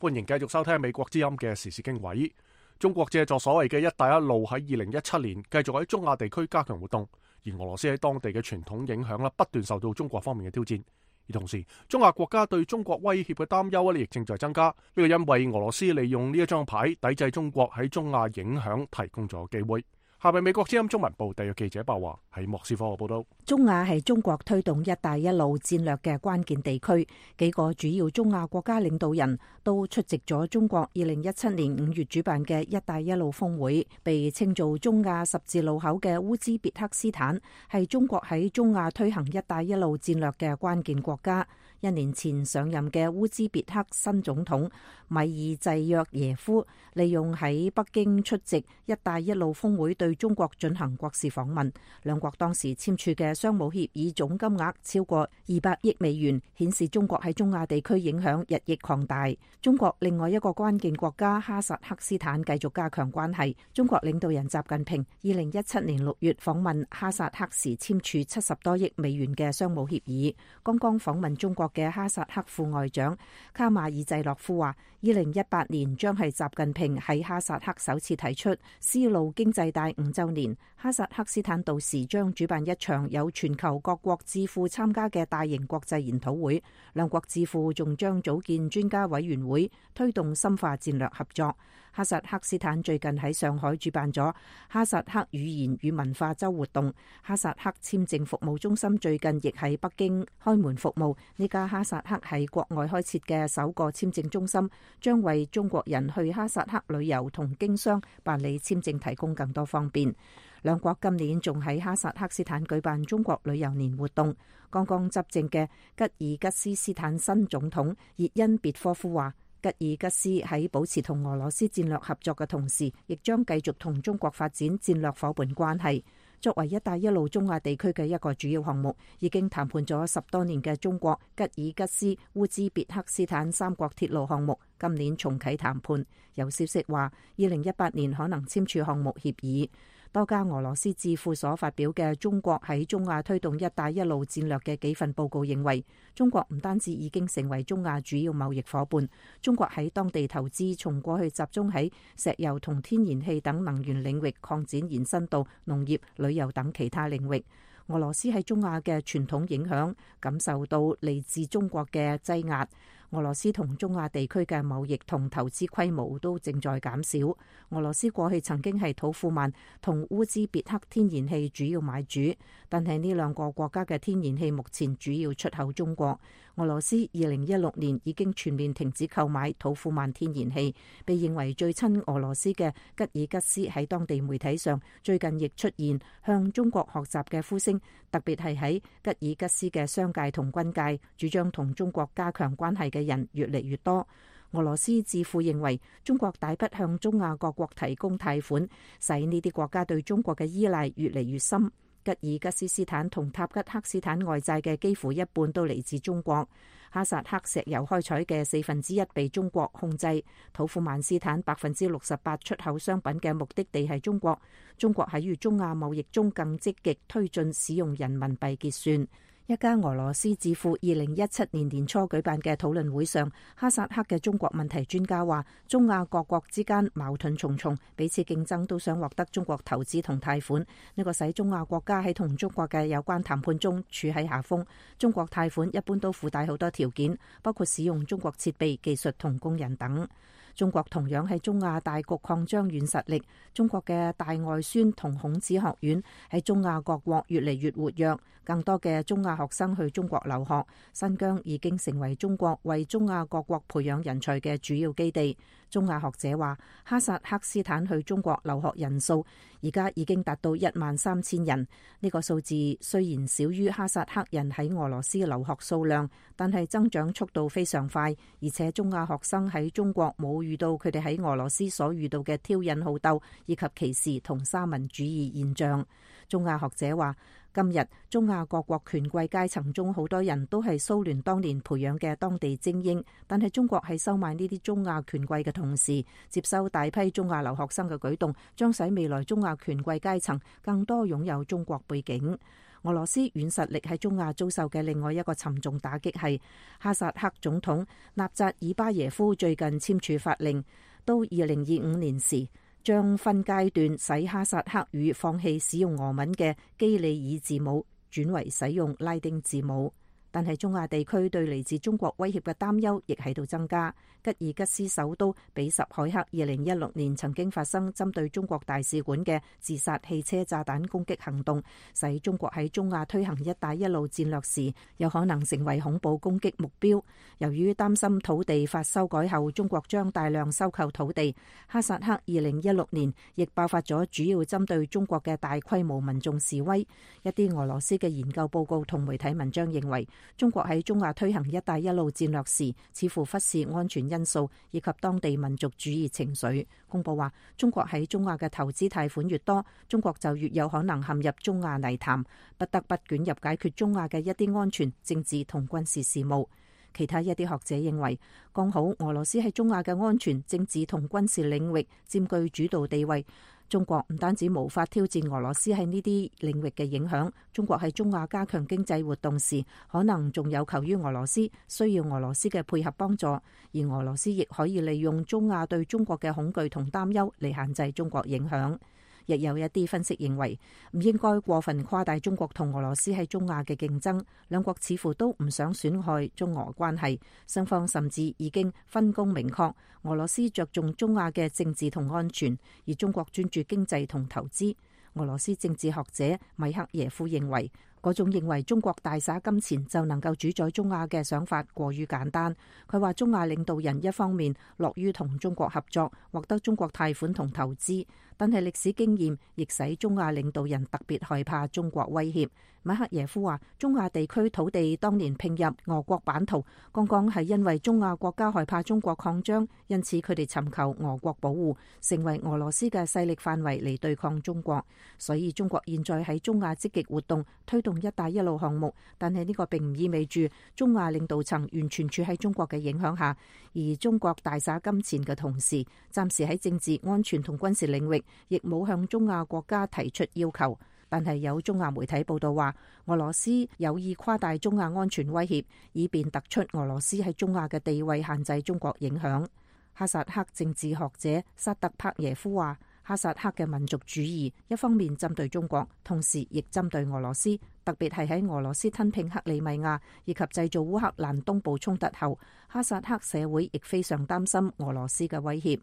歡迎繼續收聽美國之音嘅時事經緯。中國借助所謂嘅一帶一路喺二零一七年繼續喺中亞地區加強活動，而俄羅斯喺當地嘅傳統影響啦，不斷受到中國方面嘅挑戰。而同時，中亞國家對中國威脅嘅擔憂咧，亦正在增加。呢個因為俄羅斯利用呢一張牌抵制中國喺中亞影響提供咗機會。下面美國之音中文部特約記者鮑華喺莫斯科嘅報道。中亞係中國推動一帶一路戰略嘅關鍵地區，幾個主要中亞國家領導人都出席咗中國二零一七年五月主辦嘅一帶一路峰會。被稱做中亞十字路口嘅烏茲別克斯坦係中國喺中亞推行一帶一路戰略嘅關鍵國家。一年前上任嘅烏茲別克新總統米爾濟約耶夫利用喺北京出席一帶一路峰會對中國進行國事訪問，兩國當時簽署嘅商務協議總金額超過二百億美元，顯示中國喺中亞地區影響日益擴大。中國另外一個關鍵國家哈薩克斯坦繼續加強關係，中國領導人習近平二零一七年六月訪問哈薩克時簽署七十多億美元嘅商務協議。剛剛訪問中國嘅哈薩克副外長卡馬爾濟洛夫話，二零一八年將係習近平喺哈薩克首次提出絲路經濟帶五週年，哈薩克斯坦到時將主辦一場有全球各國智庫參加嘅大型國際研討會，兩國智庫仲將組建專家委員會，推動深化戰略合作。哈薩克斯坦最近喺上海主辦咗哈薩克語言與文化週活動，哈薩克簽證服務中心最近亦喺北京開門服務。呢家哈薩克喺國外開設嘅首個簽證中心，將為中國人去哈薩克旅遊同經商辦理簽證提供更多方便。兩國今年仲喺哈薩克斯坦舉辦中國旅遊年活動。剛剛執政嘅吉爾吉斯斯坦新總統熱恩別科夫話，吉爾吉斯喺保持同俄羅斯戰略合作嘅同時，亦將繼續同中國發展戰略夥伴關係。作為一帶一路中亞地區嘅一個主要項目，已經談判咗十多年嘅中國、吉爾吉斯、烏茲別克斯坦三國鐵路項目，今年重啟談判。有消息話，二零一八年可能簽署項目協議。多家俄羅斯智庫所發表嘅中國喺中亞推動一帶一路戰略嘅幾份報告認為，中國唔單止已經成為中亞主要貿易夥伴，中國喺當地投資從過去集中喺石油同天然氣等能源領域擴展延伸到農業、旅遊等其他領域。俄羅斯喺中亞嘅傳統影響感受到嚟自中國嘅擠壓。俄羅斯同中亞地區嘅貿易同投資規模都正在減少。俄羅斯過去曾經係土庫曼同烏茲別克天然氣主要買主，但係呢兩個國家嘅天然氣目前主要出口中國。俄羅斯二零一六年已經全面停止購買土庫曼天然氣，被認為最親俄羅斯嘅吉爾吉斯喺當地媒體上最近亦出現向中國學習嘅呼聲，特別係喺吉爾吉斯嘅商界同軍界，主張同中國加強關係嘅人越嚟越多。俄羅斯智庫認為，中國大筆向中亞各國提供貸款，使呢啲國家對中國嘅依賴越嚟越深。吉爾吉斯斯坦同塔吉克斯坦外債嘅幾乎一半都嚟自中國。哈薩克石油開採嘅四分之一被中國控制。土庫曼斯坦百分之六十八出口商品嘅目的地係中國。中國喺與中亞貿易中更積極推進使用人民幣結算。一家俄羅斯智庫二零一七年年初舉辦嘅討論會上，哈薩克嘅中國問題專家話，中亞各國之間矛盾重重，彼此競爭都想獲得中國投資同貸款，呢個使中亞國家喺同中國嘅有關談判中處喺下風。中國貸款一般都附帶好多條件，包括使用中國設備、技術同工人等。中國同樣喺中亞大局擴張軟實力，中國嘅大外宣同孔子學院喺中亞各國越嚟越活躍，更多嘅中亞學生去中國留學，新疆已經成為中國為中亞各國培養人才嘅主要基地。中亞學者話，哈薩克斯坦去中國留學人數而家已經達到一萬三千人，呢個數字雖然少於哈薩克人喺俄羅斯留學數量，但係增長速度非常快，而且中亞學生喺中國冇遇到佢哋喺俄羅斯所遇到嘅挑釁好鬥以及歧視同三民主義現象。中亞學者話，今日中亞各國權貴階層中好多人都係蘇聯當年培養嘅當地精英，但係中國喺收買呢啲中亞權貴嘅同時，接收大批中亞留學生嘅舉動，將使未來中亞權貴階層更多擁有中國背景。俄羅斯軟實力喺中亞遭受嘅另外一個沉重打擊係哈薩克總統納扎爾巴耶夫最近簽署法令，到二零二五年時，將分階段使哈薩克語放棄使用俄文嘅基里爾字母，轉為使用拉丁字母。但係中亞地區對嚟自中國威脅嘅擔憂亦喺度增加。吉爾吉斯首都比什凱克二零一六年曾經發生針對中國大使館嘅自殺汽車炸彈攻擊行動，使中國喺中亞推行一帶一路戰略時有可能成為恐怖攻擊目標。由於擔心土地法修改後中國將大量收購土地，哈薩克二零一六年亦爆發咗主要針對中國嘅大規模民眾示威。一啲俄羅斯嘅研究報告同媒體文章認為，中國喺中亞推行一帶一路戰略時似乎忽視安全因素以及當地民族主義情緒。公佈話，中國喺中亞嘅投資貸款越多，中國就越有可能陷入中亞泥潭，不得不捲入解決中亞嘅一啲安全、政治同軍事事務。其他一啲學者認為，剛好俄羅斯喺中亞嘅安全、政治同軍事領域佔據主導地位。中國唔單止無法挑戰俄羅斯喺呢啲領域嘅影響，中國喺中亞加強經濟活動時，可能仲有求於俄羅斯，需要俄羅斯嘅配合幫助，而俄羅斯亦可以利用中亞對中國嘅恐懼同擔憂嚟限制中國影響。亦有一啲分析認為，唔應該過分誇大中國同俄羅斯喺中亞嘅競爭，兩國似乎都唔想損害中俄關係，雙方甚至已經分工明確，俄羅斯着重中亞嘅政治同安全，而中國專注經濟同投資。俄羅斯政治學者米克耶夫認為，嗰種認為中國大灑金錢就能夠主宰中亞嘅想法過於簡單。佢話中亞領導人一方面樂於同中國合作，獲得中國貸款同投資，但係歷史經驗亦使中亞領導人特別害怕中國威脅。米克耶夫話，中亞地區土地當年併入俄國版圖，剛剛係因為中亞國家害怕中國擴張，因此佢哋尋求俄國保護，成為俄羅斯嘅勢力範圍嚟對抗中國。所以中國現在喺中亞積極活動，推動一帶一路項目，但係呢個並唔意味住中亞領導層完全處喺中國嘅影響下，而中國大灑金錢嘅同時，暫時喺政治、安全同軍事領域亦冇向中亞國家提出要求。但係有中亞媒體報道話，俄羅斯有意誇大中亞安全威脅，以便突出俄羅斯喺中亞嘅地位，限制中國影響。哈薩克政治學者薩特帕耶夫話，哈薩克嘅民族主義一方面針對中國，同時亦針對俄羅斯，特別係喺俄羅斯吞併克里米亞以及製造烏克蘭東部衝突後，哈薩克社會亦非常擔心俄羅斯嘅威脅。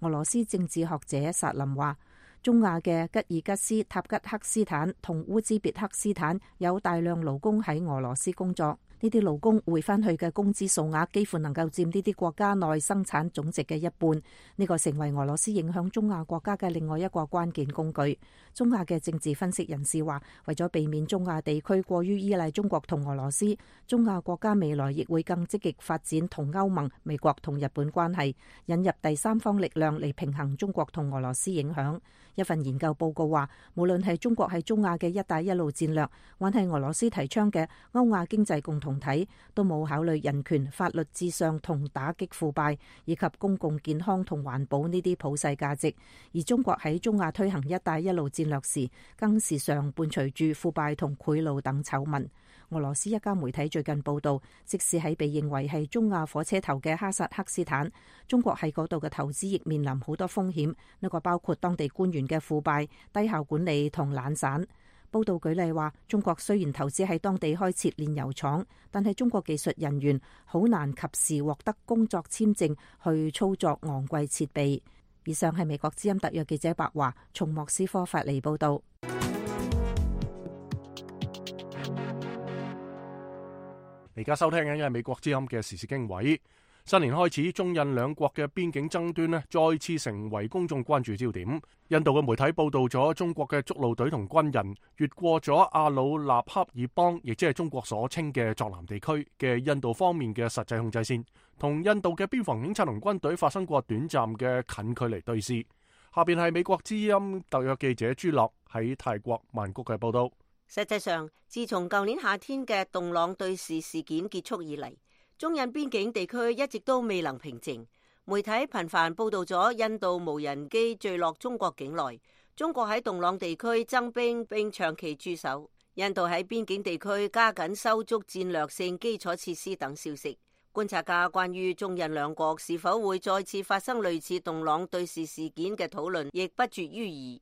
俄羅斯政治學者薩林話，中亞嘅吉爾吉斯、塔吉克斯坦同烏茲別克斯坦有大量勞工喺俄羅斯工作，呢啲勞工匯翻去嘅工資數額幾乎能夠佔呢啲國家內生產總值嘅一半，呢個成為俄羅斯影響中亞國家嘅另外一個關鍵工具。中亞嘅政治分析人士話，為咗避免中亞地區過於依賴中國同俄羅斯，中亞國家未來亦會更積極發展同歐盟、美國同日本關係，引入第三方力量嚟平衡中國同俄羅斯影響。一份研究報告話，無論係中國喺中亞嘅一帶一路戰略，還係俄羅斯提倡嘅歐亞經濟共同體，都冇考慮人權、法律至上同打擊腐敗，以及公共健康同環保呢啲普世價值。而中國喺中亞推行一帶一路戰略時，更時常伴隨住腐敗同賄賂等醜聞。俄羅斯一家媒體最近報道，即使喺被認為係中亞火車頭嘅哈薩克斯坦，中國喺嗰度嘅投資亦面臨好多風險，呢個包括當地官員嘅腐敗、低效管理同懶散。報道舉例話，中國雖然投資喺當地開設煉油廠，但係中國技術人員好難及時獲得工作簽證去操作昂貴設備。以上係美國之音特約記者白華從莫斯科發嚟報道。而家收聽緊嘅係美國之音嘅時事經緯。新年開始，中印兩國嘅邊境爭端呢再次成為公眾關注焦點。印度嘅媒體報道咗中國嘅築路隊同軍人越過咗阿魯納恰爾邦，亦即係中國所稱嘅藏南地區嘅印度方面嘅實際控制線，同印度嘅邊防警察同軍隊發生過短暫嘅近距離對峙。下邊係美國之音特約記者朱樂喺泰國曼谷嘅報道。實際上，自從舊年夏天嘅洞朗對峙事件結束以嚟，中印邊境地區一直都未能平靜。媒體頻繁報道咗印度無人機墜落中國境內，中國喺洞朗地區增兵並長期駐守，印度喺邊境地區加緊修築戰略性基礎設施等消息。觀察家關於中印兩國是否會再次發生類似洞朗對峙事件嘅討論亦不絕於耳。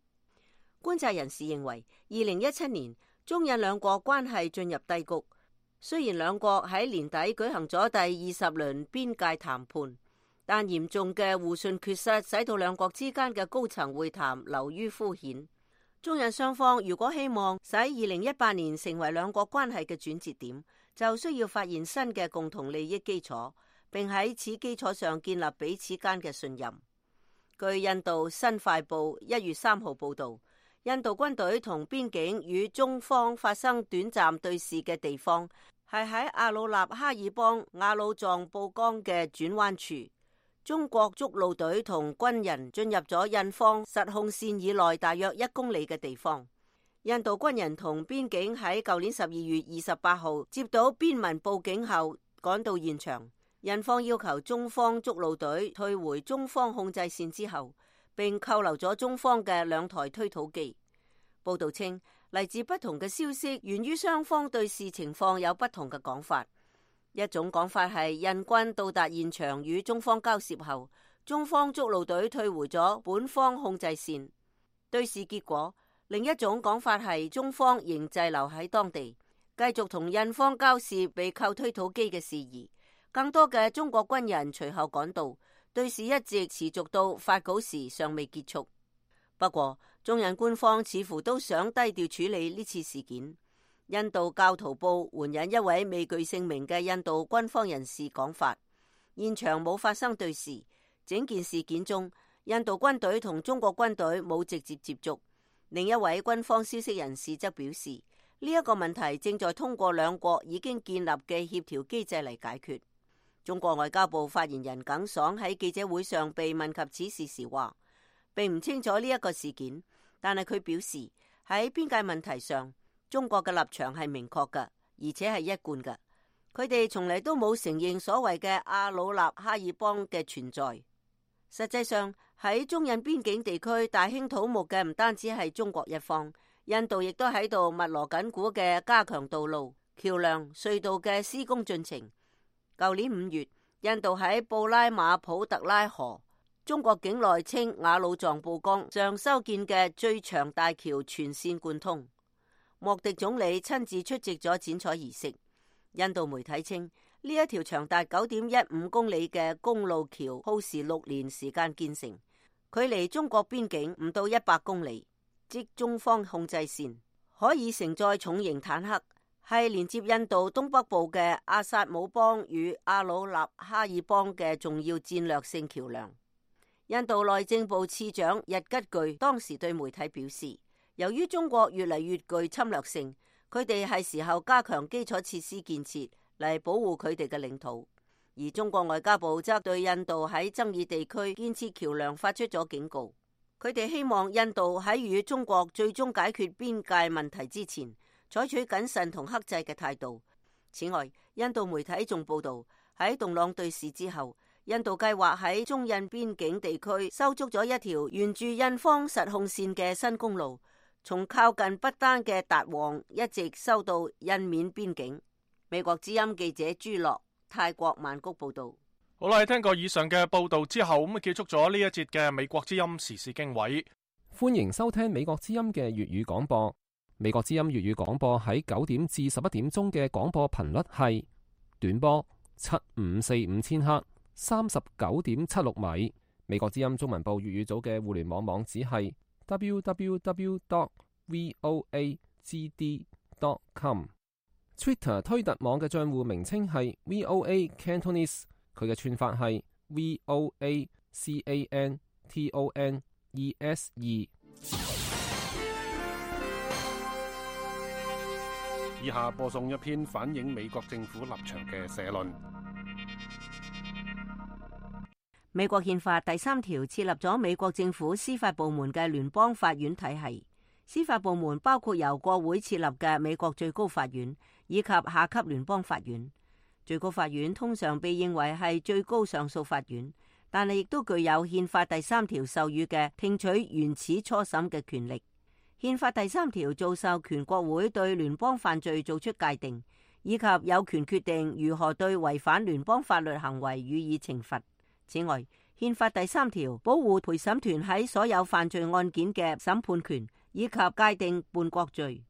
觀察人士認為，二零一七年中印兩國關係進入低谷。雖然兩國喺年底舉行咗第二十輪邊界談判，但嚴重嘅互信缺失使到兩國之間嘅高層會談流於敷衍。中印雙方如果希望使二零一八年成為兩國關係嘅轉折點，就需要發現新嘅共同利益基礎，並喺此基礎上建立彼此間嘅信任。據印度新快報一月三號報道，印度軍隊同邊境與中方發生短暫對峙嘅地方係喺阿魯納哈爾邦雅魯藏布江嘅轉彎處，中國築路隊同軍人進入咗印方實控線以內大約一公里嘅地方。印度軍人同邊境喺舊年十二月二十八號接到邊民報警後趕到現場，印方要求中方築路隊退回中方控制線之後，並扣留咗中方嘅兩台推土機。報道稱，嚟自不同嘅消息源於雙方對事情況有不同嘅講法。一種講法係印軍到達現場與中方交涉後，中方築路隊退回咗本方控制線對事結果。另一種講法係中方仍滯留喺當地，繼續同印方交涉被扣推土機嘅事宜。更多嘅中國軍人隨後趕到，對事一直持續到發稿時尚未結束。不過，中印官方似乎都想低調處理呢次事件。印度教徒報援引一位未具姓名嘅印度軍方人士講法，現場冇發生對峙，整件事件中，印度軍隊同中國軍隊冇直接接觸。另一位軍方消息人士則表示，呢一個問題正在通過兩國已經建立嘅協調機制嚟解決。中國外交部發言人耿爽喺記者會上被問及此事時話，並唔清楚呢一個事件，但係佢表示喺邊界問題上，中國嘅立場係明確嘅，而且係一貫嘅。佢哋從嚟都冇承認所謂嘅阿魯納哈爾邦嘅存在。實際上喺中印邊境地區大興土木嘅唔單止係中國一方，印度亦都喺度密鑼緊鼓嘅加強道路、橋樑、隧道嘅施工進程。舊年五月，印度喺布拉馬普特拉河中國境內稱雅魯藏布江上修建嘅最長大橋全線貫通，莫迪總理親自出席咗剪彩儀式。印度媒體稱，呢一條長達九點一五公里嘅公路橋耗時六年時間建成，距離中國邊境唔到一百公里，即中方控制線，可以承載重型坦克，係連接印度東北部嘅阿薩姆邦與阿魯納哈爾邦嘅重要戰略性橋樑。印度內政部次長日吉具當時對媒體表示，由於中國越嚟越具侵略性，佢哋係時候加強基礎設施建設嚟保護佢哋嘅領土。而中國外交部則對印度喺爭議地區建設橋樑發出咗警告，佢哋希望印度喺與中國最終解決邊界問題之前，採取謹慎同克制嘅態度。此外，印度媒體仲報道，喺洞朗對峙之後，印度計劃喺中印邊境地區修築咗一條沿住印方實控線嘅新公路，從靠近不丹嘅達旺一直收到印緬邊境。美國之音記者朱樂，泰國曼谷報道。好啦，聽過以上嘅報道之後，咁啊結束咗呢一節嘅美國之音時事經緯。歡迎收聽美國之音嘅粵語廣播。美國之音粵語廣播喺九點至十一點鐘嘅廣播頻率係短波七五四五千赫，三十九點七六米。美國之音中文部粵語組嘅互聯網網址係 double-u double-u double-u dot voa g d dot com。Twitter 推特網嘅賬戶名稱係 V O A Cantonese， 佢嘅串法係 V O A C A N T O N E S E。以下播送一篇反映美國政府立場嘅社論。美國憲法第三條設立咗美國政府司法部門嘅聯邦法院體系。司法部門包括由國會設立嘅美國最高法院以及下級聯邦法院。最高法院通常被認為係最高上訴法院，但係亦都具有憲法第三條授予嘅聽取原始初審嘅權力。憲法第三條做授權國會對聯邦犯罪做出界定，以及有權決定如何對違反聯邦法律行為予以懲罰。此外，憲法第三條保護陪審團喺所有犯罪案件嘅審判權，以及界定叛國罪。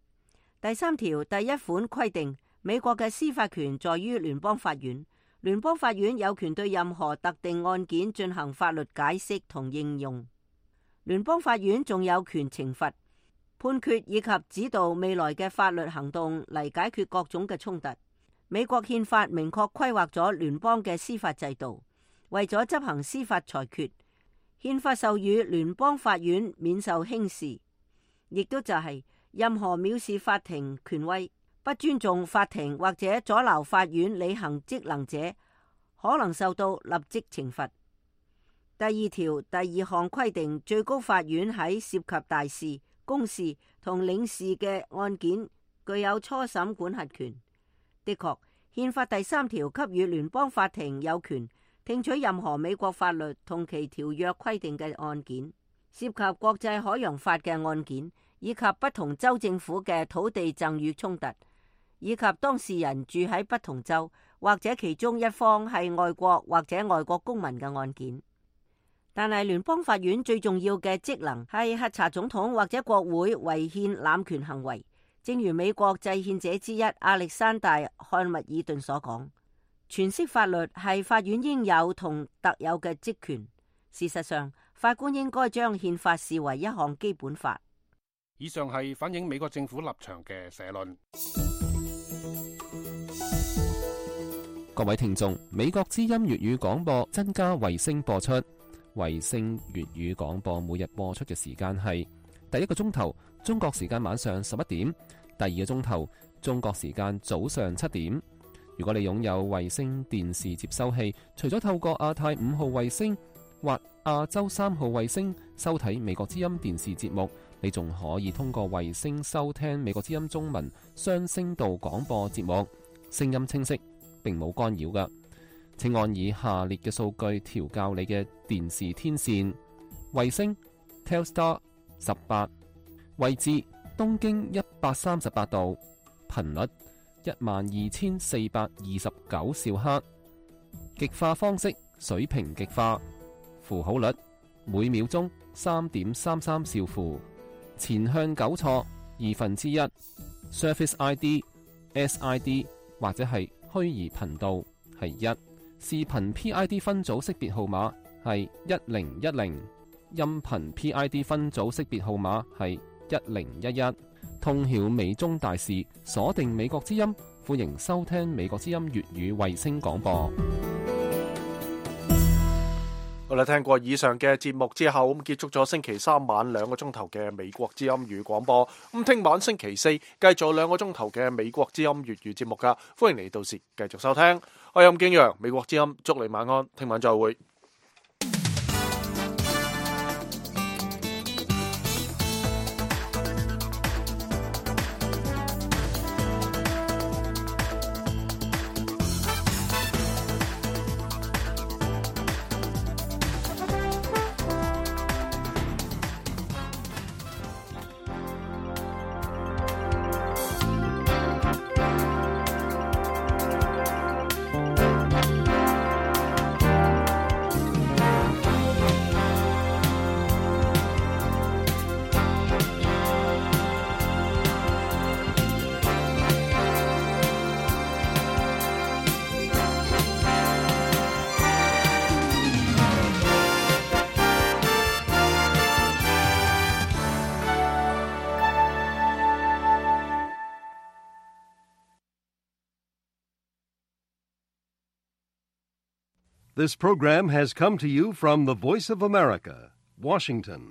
第三條第一款規定，美國嘅司法權在於聯邦法院，聯邦法院有權對任何特定案件進行法律解釋同應用。聯邦法院仲有權懲罰、判決以及指導未來嘅法律行動嚟解決各種嘅衝突。美國憲法明確規劃咗聯邦嘅司法制度，為咗執行司法裁決，憲法授予聯邦法院免受輕視，亦都就係任何藐視法庭權威、不尊重法庭或者阻撓法院履行職能者，可能受到立即懲罰。第二條第二項規定，最高法院喺涉及大事、公事同領事嘅案件具有初審管轄權。的確，憲法第三條給予聯邦法庭有權聽取任何美國法律同其條約規定嘅案件，涉及國際海洋法嘅案件，以及不同州政府嘅土地贈與衝突，以及當事人住喺不同州或者其中一方係外國或者外國公民嘅案件。但係聯邦法院最重要嘅職能係核查總統或者國會違憲濫權行為。正如美國制憲者之一亞歷山大·漢密爾頓所講，詮釋法律係法院應有同特有嘅職權。事實上，法官應該將憲法視為一項基本法。以上係反映美國政府立場嘅社論。各位聽眾，美國之音粵語廣播增加衛星播出，衛星粵語廣播每日播出嘅時間係第一個鐘頭中國時間晚上十一點，第二個鐘頭中國時間早上七點。如果你擁有衛星電視接收器，除咗透過亞太五號衛星或亞洲三號衛星收睇美國之音電視節目，你仲可以通過衛星收聽美國之音中文雙聲道廣播節目，聲音清晰，並冇干擾㗎。請按以下列嘅數據調校你嘅電視天線：衛星 Telstar 十八，位置東經一百三十八度，頻率一萬二千四百二十九兆赫，極化方式水平極化，符號率每秒鐘三點三三兆符，前向糾錯二分之一 ，Surface I D、S I D 或者係虛擬頻道係一，視頻 P I D 分組識別號碼係一零一零，音頻 P I D 分組識別號碼係一零一一。通曉美中大事，鎖定美國之音，歡迎收聽美國之音粵語衛星廣播。好啦，聽過以上嘅節目之後，咁結束咗星期三晚兩個鐘頭嘅美國之音粵語廣播。咁聽晚星期四繼續兩個鐘頭嘅美國之音粵語節目噶，歡迎你到時繼續收聽。我係任敬陽，美國之音，祝你晚安，聽晚再會。This program has come to you from the Voice of America, Washington.